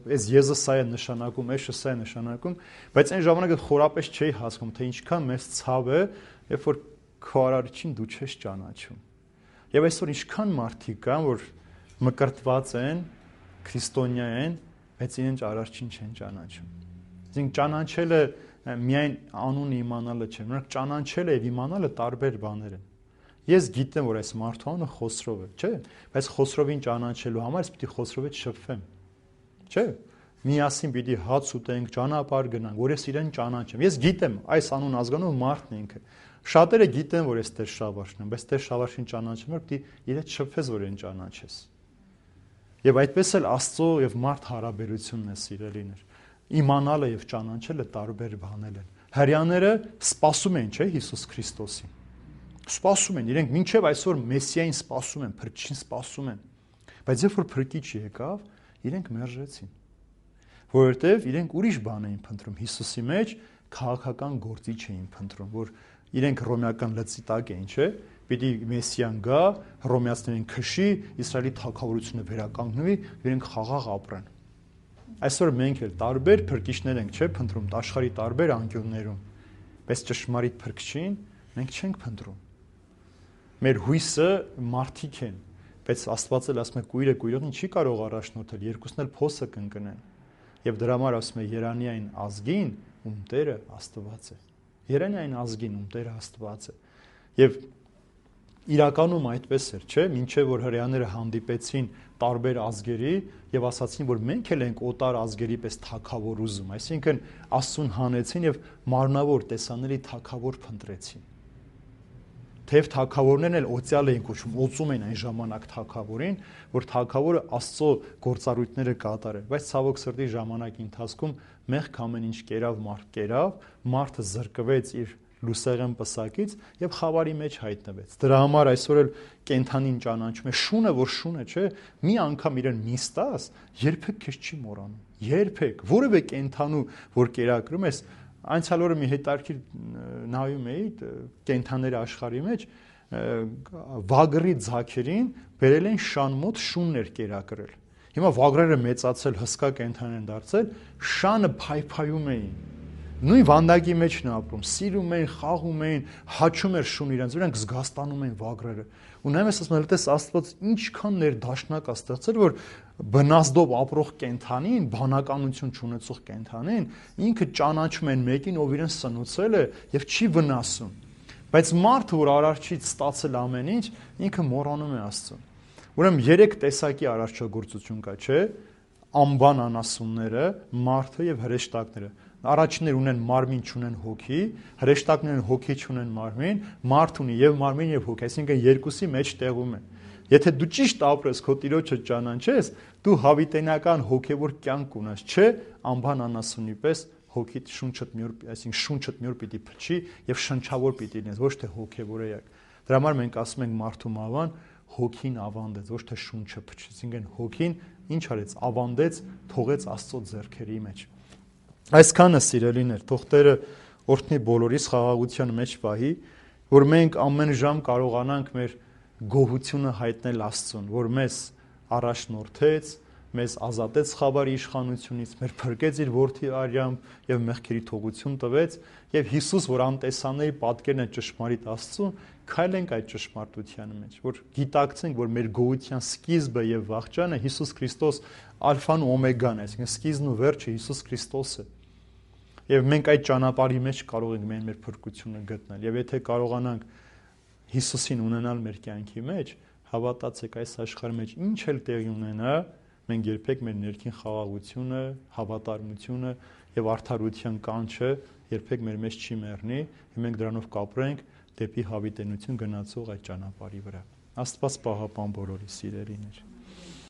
այս եզը սա է նշանակում, էշը սա է նշանակում, բայց այն ժամանակ խորապես չէի հասկանում, թե ինչքան մեծ ցավ է, երբ որ քո արարչին դու չես ճանաչում։ Եվ այսօր ինչքան մարդիկ կան, որ մկրտված են, քրիստոնյա են, բայց իրենց արարչին չեն ճանաչում։ Այսինքն ճանաչելը միայն անունը իմանալը չէ, նրանք ճանաչելը եւ իմանալը տարբեր բաներ են։ Ես գիտեմ, որ այս մարդու անունը Խոսրով է, չէ՞, բայց Խոսրովին ճանաչելու համար ես պիտի Խոսրովից շփվեմ։ Չէ՞։ Միասին պիտի հաց ուտենք, ճանապարհ գնանք, որ ես իրեն ճանաչեմ։ Ես գիտեմ, այս անուն ազգանով մարդն է ինքը։ Շատերը գիտեն, որ ես Տեր Շավարշն եմ, բայց Տեր Շավարշին ճանաչեմ, որ պիտի իրեն շփվես, որ իրեն ճանաչես։ Եվ այդպես էլ Աստծո եւ մարդ հարաբերությունն է, սիրելիներ։ Իմանալը եւ ճանաչելը տարբեր բաներ են։ Հрьяաները սպասում են, չէ՞, Հիսուս Քրիստոսին։ Սպասում են, իրենք մինչև այսօր Մեսիային սպասում են, Փրկիչին սպասում են։ Բայց երբ որ Փրկիչ եկավ, իրենք մերժեցին։ Որովհետև իրենք ուրիշ բան էին փնտրում Հիսուսի մեջ, քաղաքական գործիչ էին փնտրում, որ իրենք ռոմեական լծի տակ էին, չէ՞։ Պիտի Մեսիան գա, ռոմեացիներին քշի, Իսրայելի թագավորությունը վերականգնվի, իրենք խաղաղ ապրեն։ Այսօր մենք էլ տարբեր փրկիչներ ենք, չէ՞, փնտրում աշխարհի տարբեր անկյուններում, բայց ճշմարիտ Փրկչին մենք չենք փնտրում։ Մեր հույսը մարդիկ են, բայց Աստված էլ ասում է կույրը կույրովին չի կարող առաջնորդել, երկուսն էլ փոսը կընկնեն։ Եվ դրա համար ասում է Երանի այն ազգին, ում Տերը Աստված է։ Երանի այն ազգին, ում Տերը Աստված է։ Եվ իրականում այդպես էր, չէ՞, մինչև որ հрьяաները հանդիպեցին տարբեր ազգերի եւ ասացին, որ մենք էլ ենք օտար ազգերի պես թագավոր ուզում, այսինքն Աստծուն հանեցին եւ մարմնավոր տեսանելի թագավոր փնտրեցին։ թեև թագավորներն էլ օծյալ էին կոչվում, օծում էին այն ժամանակ թագավորին, որ թագավորը Աստծո գործառույթները կատարեր, բայց ցավոք սրտի ժամանակի ընթացքում մեղք ամեն ինչ կերավ, մարդ կերավ, մարդը զրկվեց իր լուսեղեն պսակից եւ խավարի մեջ հայտնվեց։ Դրա համար այսօր էլ կենթանին ճանաչում է շունը, որ շունը չէ, մի անգամ իրեն նիստաս, երբեք քեզ չի մոռանում։ Երբեք որևէ կենթանու, որ կերակրում ես, անցյալ օրը մի հետարքիր նայում էի կենթաների աշխարհի մեջ, վագրի ձակերին բերել են շան մոտ շուններ կերակրել։ Հիմա վագրերը մեծացել, հսկա կենթան են դարձել, շանը փայփայում էին։ Նույն վանդակի մեջ են ապրում, սիրում էին, խաղում էին, հաչում էր շուն իրենց, իրանք զգաստանում էին վագրերը։ Ու նայում ես ասում ես, տես Աստված ինչքան ներդաշնակ է ստեղծել, որ բնազդով ապրող կենթանին, բանականություն չունեցող կենթանին, ինքը ճանաչում են մեկին, ով իրեն սնուցել է եւ չի վնասում։ Բայց մարդը, որ արարչից ստացել ամեն ինչ, ինքը մոռանում է Աստծուն։ Ուրեմն երեք տեսակի արարչագործություն կա, չէ՞։ Անբան անասունները, մարդը եւ հրեշտակները։ Առաջիններ ունեն մարմին, չունեն հոգի, հրեշտակներն հոգի չունեն մարմին, մարդ ունի եւ մարմին եւ հոգի, այսինքն երկուսի մեջ տեղում է։ Եթե դու ճիշտ ապրես, քո Տիրոջը ճանաչես, դու հավիտենական հոգեվոր կյանք ունես, չէ, անբան անասունի պես հոգիդ շունչդ մի օր, այսինքն շունչդ մի օր պիտի փչի եւ շնչավոր պիտի լինես, ոչ թե հոգեվոր էակ։ Դրա համար մենք ասում ենք մարդու մավան հոգին ավանդեց, ոչ թե շունչը փչեց, այսինքն հոգին ինչ արեց, ավանդեց, թողեց Աստծո ձեռքերի մեջ։ Այսքանը սիրելիներ, թող Տերը օրհնի բոլորիս խաղաղության մեջ պահի, որ մենք ամեն ժամ կարողանանք մեր գոհությունը հայտնել Աստծուն, որ մեզ առաջնորդեց, մեզ ազատեց խավարի իշխանությունից, մեր փրկեց իր որդի արյամբ եւ մեղքերի թողություն տվեց, եւ Հիսուս, որ անտեսանելի պատկերն է ճշմարիտ Աստծուն, քայլենք այդ ճշմարտության մեջ, որ գիտակցենք, որ մեր գոհության սկիզբը եւ վախճանը Հիսուս Քրիստոս ալֆան ու օմեգան է, այսինքն սկիզբն ու վերջը Հիսուս Քրիստոս է։ Եվ մենք այդ ճանապարհի մեջ կարող ենք մեր մեր փրկությունը գտնել։ Եվ եթե կարողանանք Հիսուսին ունենալ մեր կյանքի մեջ, հավատացեք, այս աշխարհի մեջ ինչ էլ տեղի ունենա, մենք երբեք մեր ներքին խաղաղությունը, հավատարմությունը եւ արդարության կանչը երբեք մեր մեջ չի մեռնի, եւ մենք դրանով կապրենք դեպի հավիտենություն գնացող այդ ճանապարհի վրա։ Աստված պահապան բոլորի սիրելիներ։